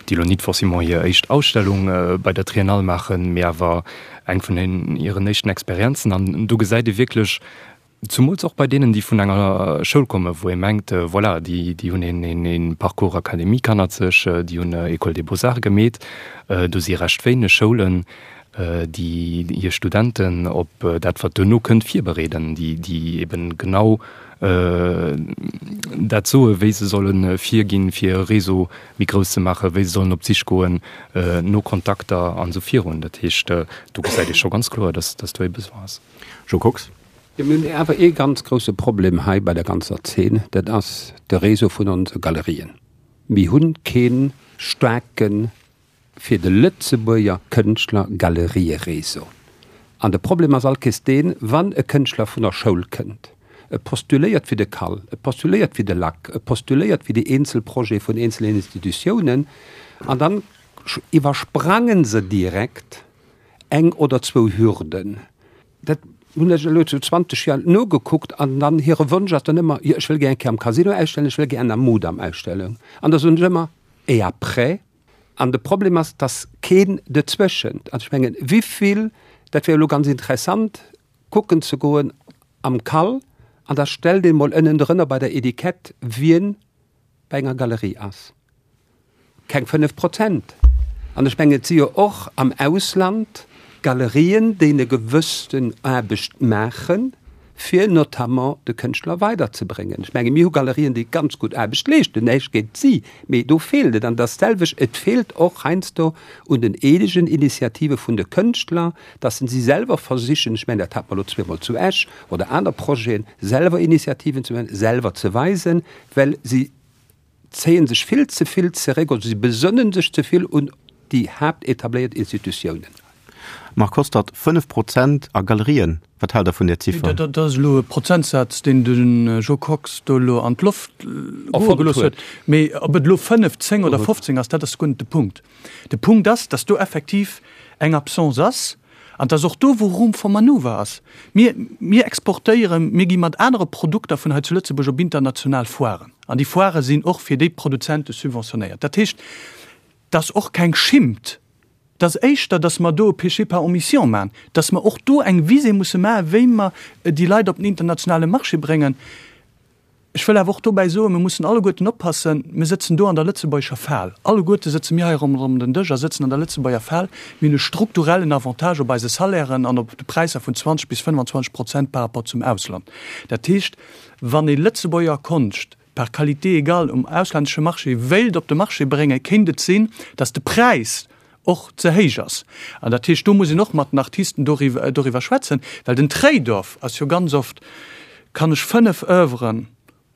Speaker 4: déi elo nit forcément hir éischt Ausstellung bei der Triennale maachen, mee awer eng vun hiren éischten Experienzen. An do gesäit ee wierklech, Zumools och bei deenen, déi vun enger Schoul kommen, wou ee mengt, voilà, déi, déi hunn een, een, een Parcours académique hannert sech, déi hunn École des Beaux-Arts gemeet. Do si recht wéineg Schoulen, déi hir Studenten op dat, wat duerno kënnt, virbereeden, déi, déi eben genau dat soen, wéi se solle virginn, fir e Réseau méi grouss ze maachen, wéi se sollen op d'Sich goen no Kontakter an esou virun. Dat heescht, do gesäit ee scho ganz kloer, dass, dass do ee Besoin ass.
Speaker 1: Jo Kox.
Speaker 6: Jo, mir hunn awer ee ganz grousse Problem hei bei der ganzer Zeen, dat ass de Réseau vun onse Galerien. Mir hu kee staarke fir de Lëtzebuerger Kënschtler Galerieréseau. An de Problem ass allkéiers deen, wann e Kënschtler vun der Schoul kënnt, e postuléiert fir de CAL, e postuléiert fir de lac, e postuléiert fir déi eenzel Projete vun eenzelen Institutiounen, an dann iwwersprange se direkt eng oder zwou Hürden. Dat hunn ech elo zu 20 Joer nogekuckt an dann hire Wonsch ass dann ëmmer, jo ech wëll gär eng Kéier am Casino ausstellen, ech wëll gär an der Mudam ausstellen. An da soen ech ëmmer, et après? An de Problem ass, dass keen dozwëschent, also ech mengen, wivill, dat wär elo ganz interessant kucken ze goen am CAL an da stellt een emol ënnendrënner bei der Etikett, wien bei enger Galerie ass. Keng 5 Prozent. An ech mengen, et si jo och am Ausland Galerien, déi eng gewëssten Aarbecht maachen, fir notamment de Kënschtler weiderzebréngen. Ech menge mir hu Galerien, déi ganz gutt Aarbecht leeschten, näischt géint si, mee do feelt et. An et ass d'selwecht, et feelt och heiansdo un den eegenen Initiative vun de Kënschtler, dass se selwer versichen, ech mengen dat hat mer elo zweemol zu Esch oder aner Projeten, selwer Initiativen ze huelen, selwer ze weisen, well si zéie sech vill ze vill zeréck oder si besënne sech ze vill un déi haaptetabléiert Institutiounen.
Speaker 1: Marc Hostert, 5 Prozent a Galerien, wat haalt Der vun där Ziffer?
Speaker 2: Dat ass elo e Prozentsaz, deen de Jo Kox do elo an d'Loft goe gelooss huet. Mee ob et elo 5, 10 oder 15 ass, dat ass guer net de Punkt. De Punkt ass, datt do effektiv eng Absence ass an dass och do, wou Room for manoeuvre ass. Mir, mir exportéieren, mir gi mat anere Produkter vun hei zu Lëtzebuerg op international Foiren an déi Foirë sinn och fir déi Produzente subventionéiert. Dat heescht, dass och keng Schimmt, dass éischter, dass mer do e Péché par omission maachen, dass mer och do eng Visée musse maachen, wéi mer déi Leit op den internationale Marché bréngen. Ech wëll awer och dobäi soen, mir mussen alleguerten oppassen, mir sëtzen do an der lëtzebuergescher Fal. Alleguerte sëtze mir hei ronderëm den Dësch a sëtzen an der Lëtzebuerger Fal. Mir hunn e strukturellen Avantage op eise Salairen an op de Präisser vun 20 bis 25 Prozent par rapport zum Ausland. Dat heescht, wann ee Lëtzebuerger Konscht par qualité égale um auslännesche Marché wéilt op de Marché bréngen, kéint et sinn, datt de Präis och ze héich ass. An dat heescht, do muss een och mat den Artisten doriwwer schwätzen, well den Trade-off ass jo ganz oft, Kann ech 5 Oeuvren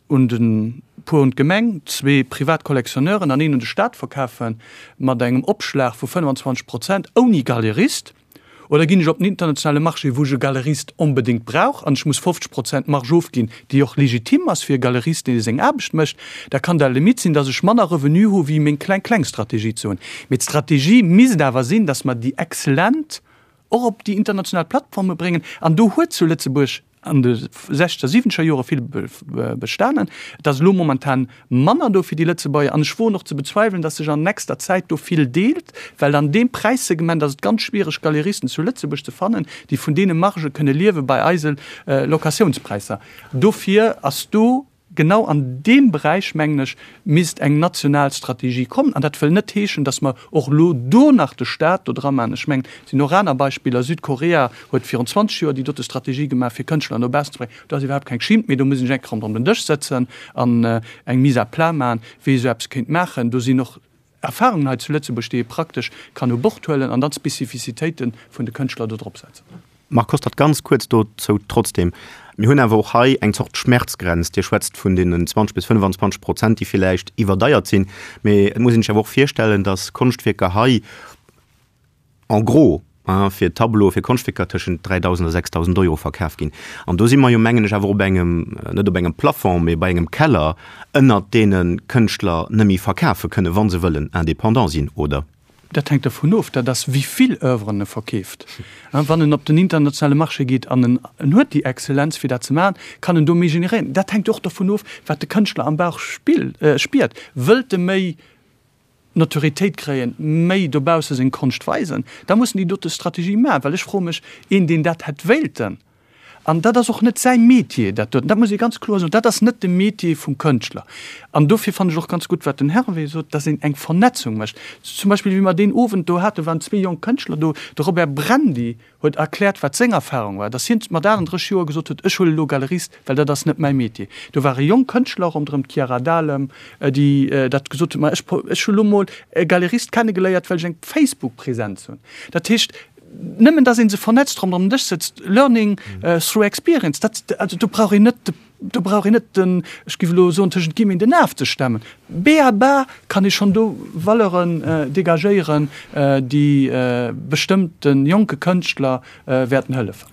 Speaker 2: un de puer un d'Gemeng, zwee privat Collectionneuren an een un de Staat verkafen, mat engem Opschlag vu 25 Prozent, ouni Galerist? Oder ginn ech op den internationale Marché, wou ech e Galerist onbedéngt brauch an ech muss 50 Prozent Marge ofginn, déi och legitim ass fir e Galerist, dee seng Aarbecht mécht? Da kann der Limite sinn, dass ech manner Revenu hu wéi meng kleng, kleng Strategie ze hunn. Mee d'Strategie misst awer sinn, dass mer déi Exzellent och op déi international Plattforme bréngen. An do huet zu Lëtzebuerg an de sechzeger, siwwenzeger Jore vill bestanen. Et ass elo momentan manner do fir déi Lëtzebuerger. An ech woen och ze bezweiwelen, datt sech an nächster Zäit do vill deelt, well an deem Präissegment ass et ganz schwiereg, Galeristen zu Lëtzebuerg ze fannen, déi vun deene Margë kënne liewe bei eise Locatiounspräisser. Dofir ass do Genau an deem Beräich, mengen ech, misst eng national Strategie kommen. An dat wëll net heeschen, datt mer och elo do nach de Stat do dra maachen. Ech mengen, et sinn och aner Beispiller. Südkorea huet virun 20 Joer déi dote Strategie gemaach, fir Kënschtler no baussen ze bréngen. Do ass iwwerhaapt keng Schimmt méi. Do muss een sech eng Kéier ronderëm den Dësch sëtzen an eng Mise à plat maachen, wéi ee esou eppes kéint maachen. Do sinn och Erfahrungen hei zu Lëtzebuerg, déi ee praktesch kann u Bord huelen an dann d'Spezifizitéite vun de Kënschtler do drop setzen.
Speaker 1: Marc Hostert, Ganz kuerz dozou trotzdem, Mir hunn awer och hei eng Zort Schmerzgrenz. Dir schwätzt vun deenen 20 bis 25 Prozent, déi villäicht iwwerdeiert sinn. Mee et muss een sech awer och virstellen, datt Konschtwierker hei en gros, fir Tableaue, fir Konschtwierker tëschent 3.000 a 6.000 Euro verkaf ginn. An do si mer jo, mengen ech, awer op engem, net op engem Plafond, mee bei engem Keller, ënnert deene Kënschtler net méi verkafe kënnen, wa se wëllen indépendant sinn, oder?
Speaker 2: Dat hänkt dervun of, dat ass, wéi vill Oeuvren e verkeeft. Wann en op den internationale Marché geet an en huet déi Exzellenz, fir dat ze maachen, kann en do méi generéieren. Dat hänkt och dervun of, wat de Kënschtler am Bauch spiert. Wëllt e méi Notoriétéit kréien, méi dobausse seng Konscht weisen, da muss en déi dote Strategie maachen. Well ech froe mech, een, deen dat hätt wéilten, an dat ass och net säi Metier, dat doten, dat muss ee ganz kloer soen, dat ass net de Metier vum Kënschtler. An dofir fannen ech och ganz gutt, wat den Hervé sot, dass een eng Vernetzung mécht. Zum Beispill, wéi mer deen Owend do haten, waren zwee jonk Kënschtler do, de Robert Brandy huet erkläert, wat seng Erfahrung war, dass hien mat 38 Joer gesot huet, ech huelen elo Galerist, well dat ass net mäi Metier. Do ware jonk Kënschtler ronderëm d'Chiara Dahlem, déi dat gesot huet, ma ech, ech hu lo mol e Galerist kennegeléiert, well ech eng Facebook-Präsenz hunn. Dat heescht, nëmmen dass ee se vernetzt, ronderëm den Dësch sëtzt, learning through experience, dat, also do brauch een net de, do brauch een net den, ech géif elo soen, tëschent Guillemeten den Af ze stemmen. B.a.ba. Kann ee schonn do Valeuren dégagéieren, déi bestëmmt de jonke Kënschtler wäerten hëllefen.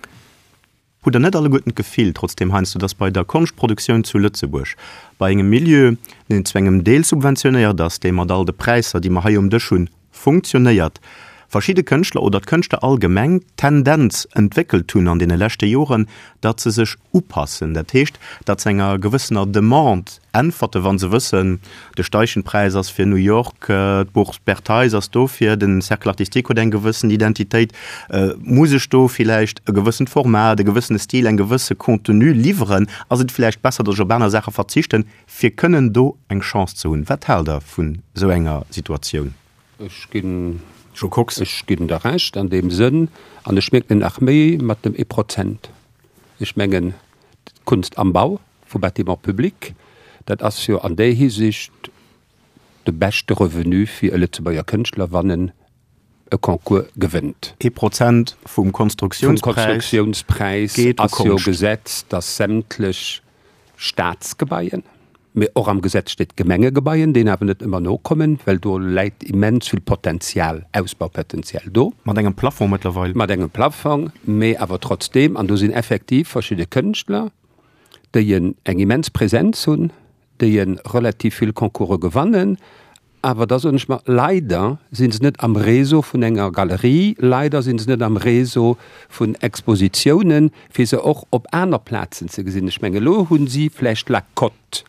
Speaker 1: Hutt Der net alleguerten d'Gefill trotzdeem heiansdo, dass bei der Konschtproduktioun zu Lëtzebuerg, bei engem Milieu, deen zu engem Deel subventionéiert ass, dee mat all de Präisser, déi mer hei um Dësch hunn, funktionéiert, verschidde Kënschtler oder d'Kënschtler allgemeng d'Tendenz entwéckelt hunn an deene leschte Joren, datt se sech upassen, dat heescht, datt se enger gewëssener Demande äntwerten, wa se wëssen, de Steichen-Präis ass fir New York, d'Bourse Berthez ass dofir, den Cercle artistique huet eng gewëssen Identitéit, muss ech do villäicht e gewëssent Format, e gewëssene Stil, eng gewësse Contenu liwweren, ass et villäicht besser, datt ech op aner Saache verzichten, fir kënnen do eng Chance ze hunn. Wat haalt Der vun esou enger Situatioun?
Speaker 6: Ech ginn, Jo Kox. Ech ginn der Recht an deem Sënn, an ech mierken et nach méi mat dem ee Prozent. Ech mengen, d'Kunst am Bau vu Bâtiments publics, dat ass jo an där Hisiicht de beschte Revenu fir e Lëtzebuerger Kënschtler, wann en e Concours gewënnt.
Speaker 1: Ee Prozent vum Konstruktiounspräis.
Speaker 6: Vum Konstruktiounspräis ass jo Gesetz, dass sämtlech Staatsgebaien, mee och am Gesetz steet Gemengegebaien, deenen awer net ëmmer nokommen, well do läit immens vill Potenzial, Ausbaupotenzial do.
Speaker 1: Mat engem Plafond mëttlerweil.
Speaker 6: Mat engem Plafong, mee awer trotzdeem, an do sinn effektiv verschidde Kënschtler, déi eng immens Präsenz hunn, déi relativ vill Concourse gewannen, awer da soen ech mer, leider si se net am Réseau vun enger Galerie, leider si se net am Réseau vun Expositiounen, fir se och op aner Plazen ze gesinn. Ech mengen, elo hu si vläicht la cote,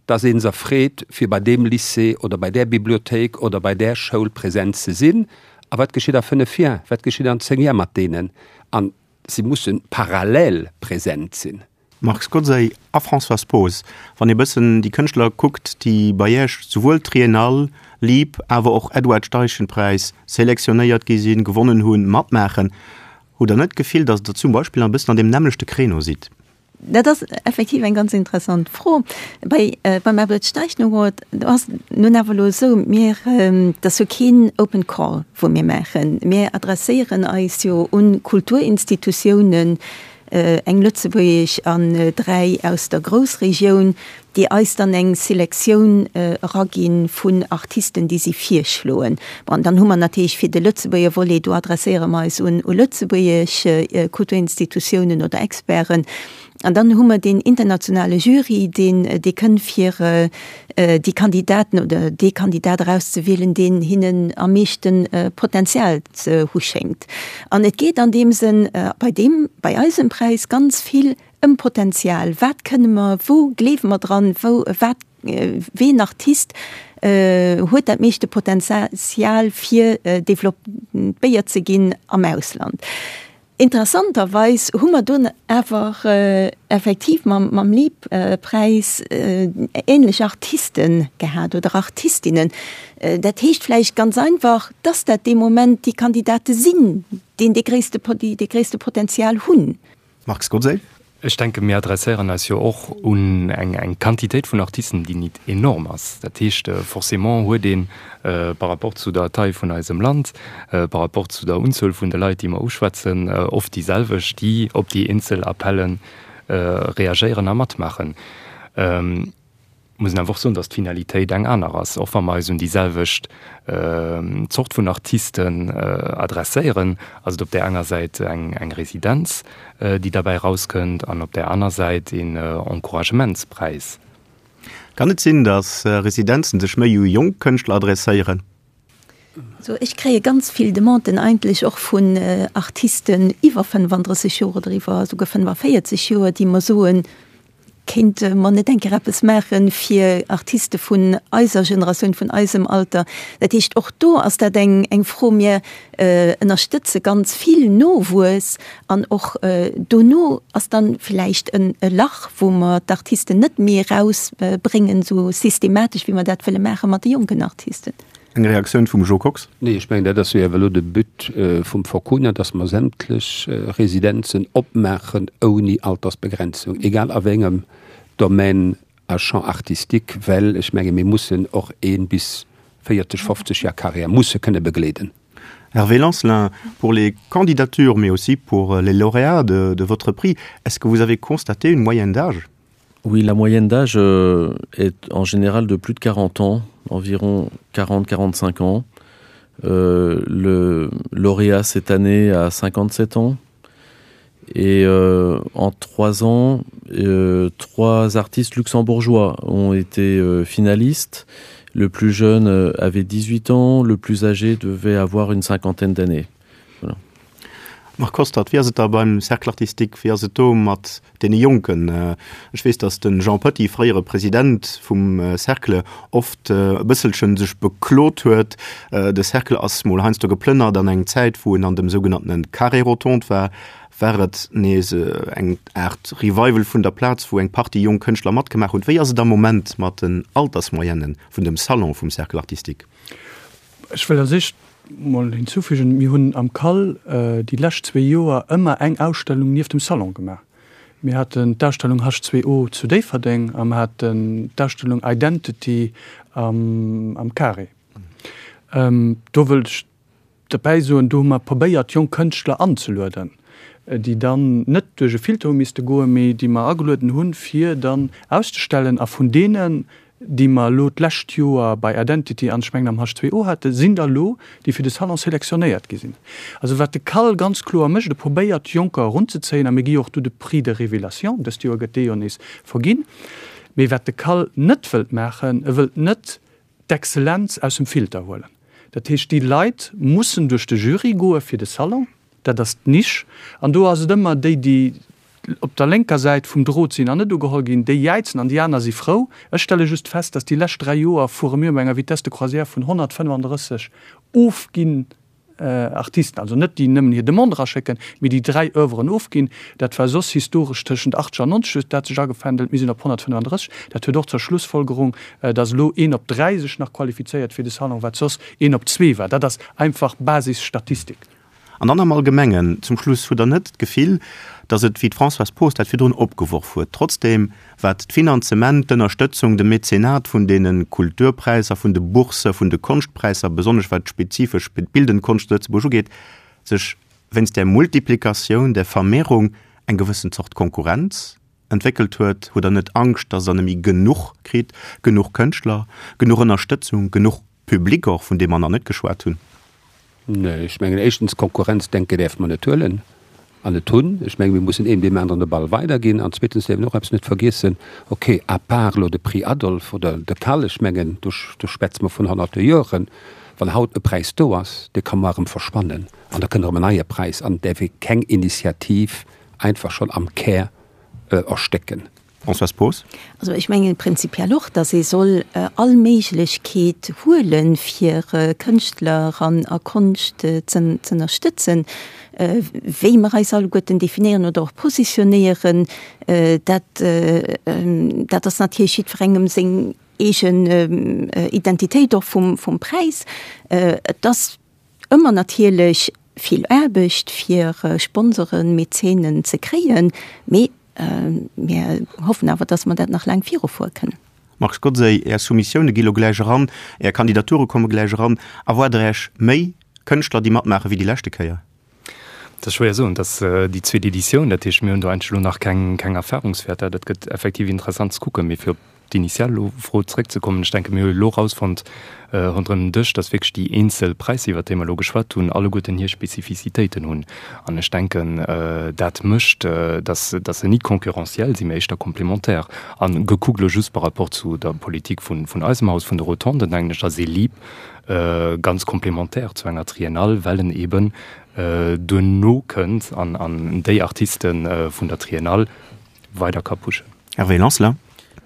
Speaker 6: dass ee se freet, fir bei deem Lycée oder bei där Bibliothéik oder bei där Schoul present ze sinn. A wat geschitt a fënnef Jar, wat geschitt an zéng Jar mat deenen? A si musse parallel present sinn.
Speaker 1: Marc Scozzey a Françoise Poos, Wann ee bëssen déi Kënschtler kuckt, déi bei Iech souwuel Triennale, Lieb, awer och Edward Steichen-Präis selektionéiert gi sinn, gewonnen hunn, matmaachen, hutt Der net d'Gefill, datt Der zum Beispill e bëssen an deem nämmlechte Créneau sidd?
Speaker 3: Dat ass effektiv eng ganz interessant Fro. Bei, beim Edward Steichen Award, do ass et nun awer elo esou, mir, dat ass jo keen Open Call, wou mir maachen. Mir adresséieren eis jo un Kulturinstitutiounen, eng lëtzebuergesch an 3 aus der Groussregioun, déi eis dann eng Selektioun eragi vun Artisten, déi si virschloen. Bon, dann hu mer natierlech fir de Lëtzebuerger Volet, do adresséiere mer eis un u lëtzebuergesch Kulturinstitutiounen oder Experten. An dann hu mer deen internationale Jury, deen dee kënn fir déi Kandidaten oder dee Kandidat erauszewielen, deen hinnen am meeschte Potenzial ze hu schéngt. An et geet an deem Sënn bei deem, bei eisem Präis ganz vill ëm Potenzial. Wat kënne mer, wou gleewe mer dran, wou, wat, ween Artist huet dat meeschte Potenzial fir développéiert ze ginn am Ausland? Interessanterweis hu mer dunn awer effektiv mam Lieb-Präis änlech Artiste gehat oder Artistinnen. Dat heescht vläicht ganz einfach, dass dat dee Moment déi Kandidate sinn, deen dee gréisste, déi dee gréisste Potenzial hunn.
Speaker 1: Marc Scozzé.
Speaker 4: Ech denken, mir adresséieren eis jo och un eng Quantitéit vun Artisten, déi nit enorm ass. Dat heescht, forcément huet ee par rapport zu der Taille vun eisem Land, par rapport zu der Unzuel vun de Leit, déi mer uschwätzen, oft déi selwecht, déi op déi eenzel Appelle reagéieren a matmaachen. Muss een awer och soen, datt d'Finalitéit eng aner ass. Och wa mer eis un déi selwecht Zort vun Artisten adresséieren, ass et op där enger Säit eng Residenz, déi derbäi erauskënnt, an op där aner Säit een Encouragementspräis.
Speaker 1: Kann et sinn, datt Residenzen sech méi u jonk Kënschtler adresséieren?
Speaker 3: Also ech kréie ganz vill Demanden eigentlech och vun Artisten iwwer 35 Joer oder iwwer esouguer 45 Joer, déi mer soen, Kéinte mer net eng Kéier eppes maache fir Artiste vun eiser Generatioun, vun eisem Alter? Dat heescht, och do ass dat eng eng Fro. Mir ënnerstëtze ganz vill Nowuess an och dono ass dann vläicht en e Lach, wou mer d'Artisten net méi erausbréngen, esou systematesch, wéi mer dat wëlle maache mat de jonken Artisten.
Speaker 1: Eng Reaktioun vum Jo Kox?
Speaker 6: Nee, ech mengen, dat ass jo awer elo de But vum Forcuna, dass mer sämtlech Residenzen opmaachen ouni Altersbegrenzung, egal a wéi engem Domaine a Champ artistique, well ech menge mir mussen och ee bis 40, 50 Jar Carrière musse kënne begleeden.
Speaker 1: Hervé Lancelin, pour les candidatures, mais aussi pour les lauréats de, de votre prix, est-ce que vous avez constaté une moyenne d'âge
Speaker 5: Oui, la moyenne d'âge euh, est en général de plus de 40 ans, environ 40-45 ans. Euh, le lauréat cette année a 57 ans. Et euh, en trois ans, euh, trois artistes luxembourgeois ont été euh, finalistes. Le plus jeune euh, avait 18 ans, le plus âgé devait avoir une cinquantaine d'années. Voilà.
Speaker 1: Marc Hostert, wéi ass et da beim Cercle artistique, wéi ass et do mat deene Jonken? Ech weess, datt de Jean Petty, fréiere President vum Cercle, oft e bësselchen sech beklot huet, de Cercle ass mol heiansdo geplënnert an eng Zäit, wou en an dem sougenanntene Carré Rotonde war, war et nees eng Aart Revival vun der Plaz, wou eng Partie jonk Kënschtler matgemaach hunn. Wéi ass et am Moment mat den Altersmoyenne vun dem Salon vum Cercle artistique?
Speaker 2: Ech wëll als éischt mol hinzufügen, mir hunn am CAL déi lescht zwee Joer ëmmer eng Ausstellung nieft dem Salon gemaach. Mir haten d'Ausstellung H2O zu Déifferdeng a mer haten d'Ausstellung Identity am Carré. Do wëllt ech derbäi soen, do hu mer probéiert, jonk Kënschtler anzelueden, déi dann net duerch e Filter hu misste goen, mee déi mer agelueden hunn, fir dann auszestellen. A vun deenen, déi mer elo d'lescht Joer bei Identity an ech mengen am H2O haten, sinn der elo, déi fir de Salon selektionéiert gi sinn. Also wat de CAL ganz kloer mécht, e probéiert Jonker erunzezéien, a mir gi jo och do de Prix de révélation, dëst Joer gëtt dee jo nees verginn. Mee wat de CAL net wëllt maachen, e wëllt net d'Exzellenz aus dem Filter huelen. Dat heescht, déi Leit mussen duerch de Jury goe fir de Salon, dat ass d'Nisch. An do ass et ëmmer déi, déi op der lénker Säit vum Drot sinn an net ugeholl ginn, déi jäizen an déi aner si frou. Ech stelle just fest, dass déi lescht 3 Joer fuere mir mat enger Vitesse de croisière vun 135 ofginn Artisten, also net déi nëmmen hir Demande eraschécken, mee déi 3 Oeuvren ofginn. Dat war soss historesch tëschent 80 an 90 huet dat sech agependelt. Mir sinn op 135. Dat huet och zur Schlussfolgerung, dass elo een op 3 sech nach qualifizéiert fir de Salon, wat soss een op zwee war. Dat ass einfach Basisstatistik.
Speaker 1: An dann am Allgemengen, zum Schluss, hutt Der net d'Gefill, datt et, wéi d'Françoise Poos dat virdrun opgeworf huet, trotzdem, wat d'Finanzement, d'Ënnerstëtzung, de Mäzenat vun deene Kulturpräisser, vun de Boursen, vun de Konschtpräisser, besonnesch wat spezifesch d'bildend Konscht zu Lëtzebuerg ugeet, sech wéinst där Multiplikatioun, där Vermehrung eng gewëssen Zort Konkurrenz entwéckelt huet? Hutt Der net Angscht, datt Der net méi genuch kritt, genuch Kënschtler, genuch Ënnerstëtzung, genuch Public och, vun deem mer nach net geschwat hunn?
Speaker 6: Nee, ech mengen éischtens, Konkurrenzdenke däerfe mer net huelen an net hunn. Ech menge mir mussen een deem aneren de Ball weiderginn. An zweetens däerf een och eppes net vergiessen, okay, à part elo de Prix Adolphe oder de Cal, ech mengen do do schwätze mer vun honnerte Joren, wann haut e Präis do ass, dee ka muar erëm verschwannen an da kënnt erëm en neie Präis an et däerf ee keng Initiativ einfach schonn am Kär erstécken.
Speaker 1: Françoise Poos.
Speaker 3: Also ech mengen prinzipiell och, datt ee soll all Méiglechkeet huelen, fir Kënschtler an a Konscht z'ënnerstëtzen. Wéi mer eis alleguerten definéieren oder och positionéieren, dat dat ass natierlech jiddwerengem seng eegen Identitéit och vum vum Präis. Et ass Ëmmer natierlech vill Aarbecht fir Sponsoren, Mäzenen ze kréien, mee mir hoffen awer, dass mer dat nach laang virufuere kënnen.
Speaker 1: Marc Godsey, Är Soumissioune gi lo gläich eran, Är Kandidature komme gläich eran. Erwaart Der Äech méi Kënschtler, déi matmaache wéi déi leschte Kéier?
Speaker 4: Dat ass schwéier soen. Dat ass déi zweet Editioun, dat heescht, mir hunn do eigentlech elo nach keng Erfahrungswäerter. Dat gëtt effektiv interessant ze kucken. Mee fir op d'initial Fro zeréckzekommen, ech denke mir hu elo erausfonnt ronderëm den Dësch, datt wierklech déi eenzel Präisser, iwwert déi mer elo geschwat hunn, alleguerten hir Spezifizitéiten hunn. An ech denken, dat mécht, datt datt se ni concurrentiel sinn, mee éischter complémentaire. A gekuckt elo just par rapport zu der Politik vun eisem Haus, vun de Rotonden, denken ech, ass ee LIP ganz complémentaire zu enger Triennale, well en eben duerno kënnt an an déi Artiste vun der Triennale weider ka pushen.
Speaker 1: Hervé Lancelin.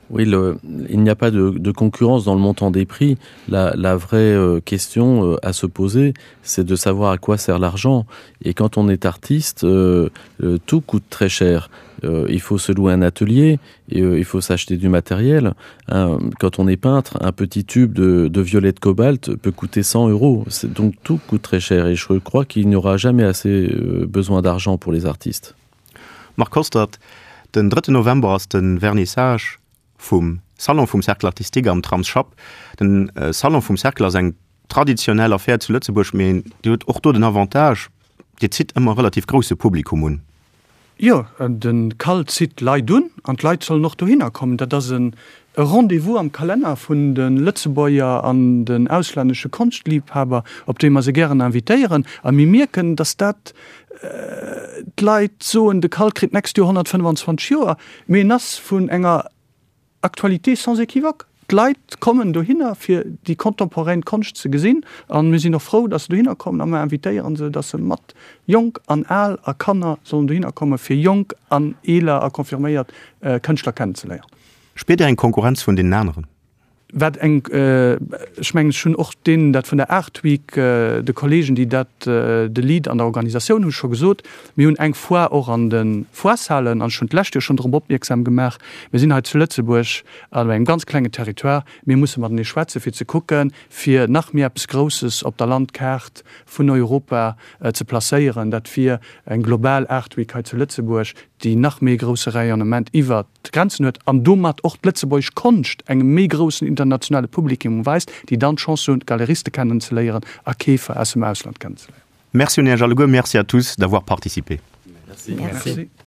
Speaker 5: Oui, le, il n'y a pas de, de concurrence dans le montant des prix. La, la vraie euh, question euh, à se poser, c'est de savoir à quoi sert l'argent. Et quand on est artiste, euh, euh, tout coûte très cher. Euh, il faut se louer un atelier, et, euh, il faut s'acheter du matériel. Hein, quand on est peintre, un petit tube de, de violet de cobalt peut coûter 100 euros. Donc tout coûte très cher et je crois qu'il n'y aura jamais assez euh, besoin d'argent pour les artistes.
Speaker 1: Marc Hostert, Den 3 November ass de Vernissage vum Salon vum Cercle Artistique am Tramsschapp. Den äh, Salon vum Cercle ass eng traditionell Affär zu Lëtzebuerg, mee Dir hutt och do den Avantage, Dir zitt ëmmer relativ grousse Publikum un.
Speaker 2: Jo, de Cal zitt d'Leit un an d'Leit sollen och dohinner kommen. Dat ass e Rendez-vous am Kalenner vun de Lëtzebuerger an den auslännesche Konschtliebhaber, op dee mer se gären invitéieren. A mir mierken, datt dat d'Leit soen, de Cal kritt d'nächst Joer 125 Joer, mee en ass vun enger Actualité sans équivoque, D'Leit kommen dohinner fir déi contemporaine Konscht ze gesinn a mir sinn och frou, datt se dohinner kommen a mir invitéiere se, datt se mat Jonk an Al a Kanner sollen dohinner komme fir jonk an eeler a confirméiert Kënschtler kennenzeléieren.
Speaker 1: Spiert Dir eng Konkurrenz vun deenen aneren?
Speaker 2: Wat eng, ech mengen, ech hunn och deenen dat vun der Art Week, de Kollegen, déi dat, de Lead an der Organisatioun hu scho gesot, mir hunn eng Foire och an de Foireshalen, an ech hunn d'lescht Joer schonn drop opmierksam gemaach, mir sinn hei zu Lëtzebuerg an engem ganz klengen Territoire, mir musse matenee schwätzen, fir ze kucken, fir nach méi eppes Grousses op der Landkaart vun Europa ze placéieren. Dat wier eng global Art Week hei zu Lëtzebuerg, déi nach méi e grousse Rayonnement iwwert d'Grenzen huet an domat och d'lëtzebuergesch Konscht engem méi groussen internationale Publikum weist, déi dann d'Chance hunn, Galeriste kennenzeléieren a Keefer aus dem Ausland kennenzeléieren.
Speaker 1: Merci un Iech alleguer, merci à tous d'avoir participé.
Speaker 2: Merci. Merci.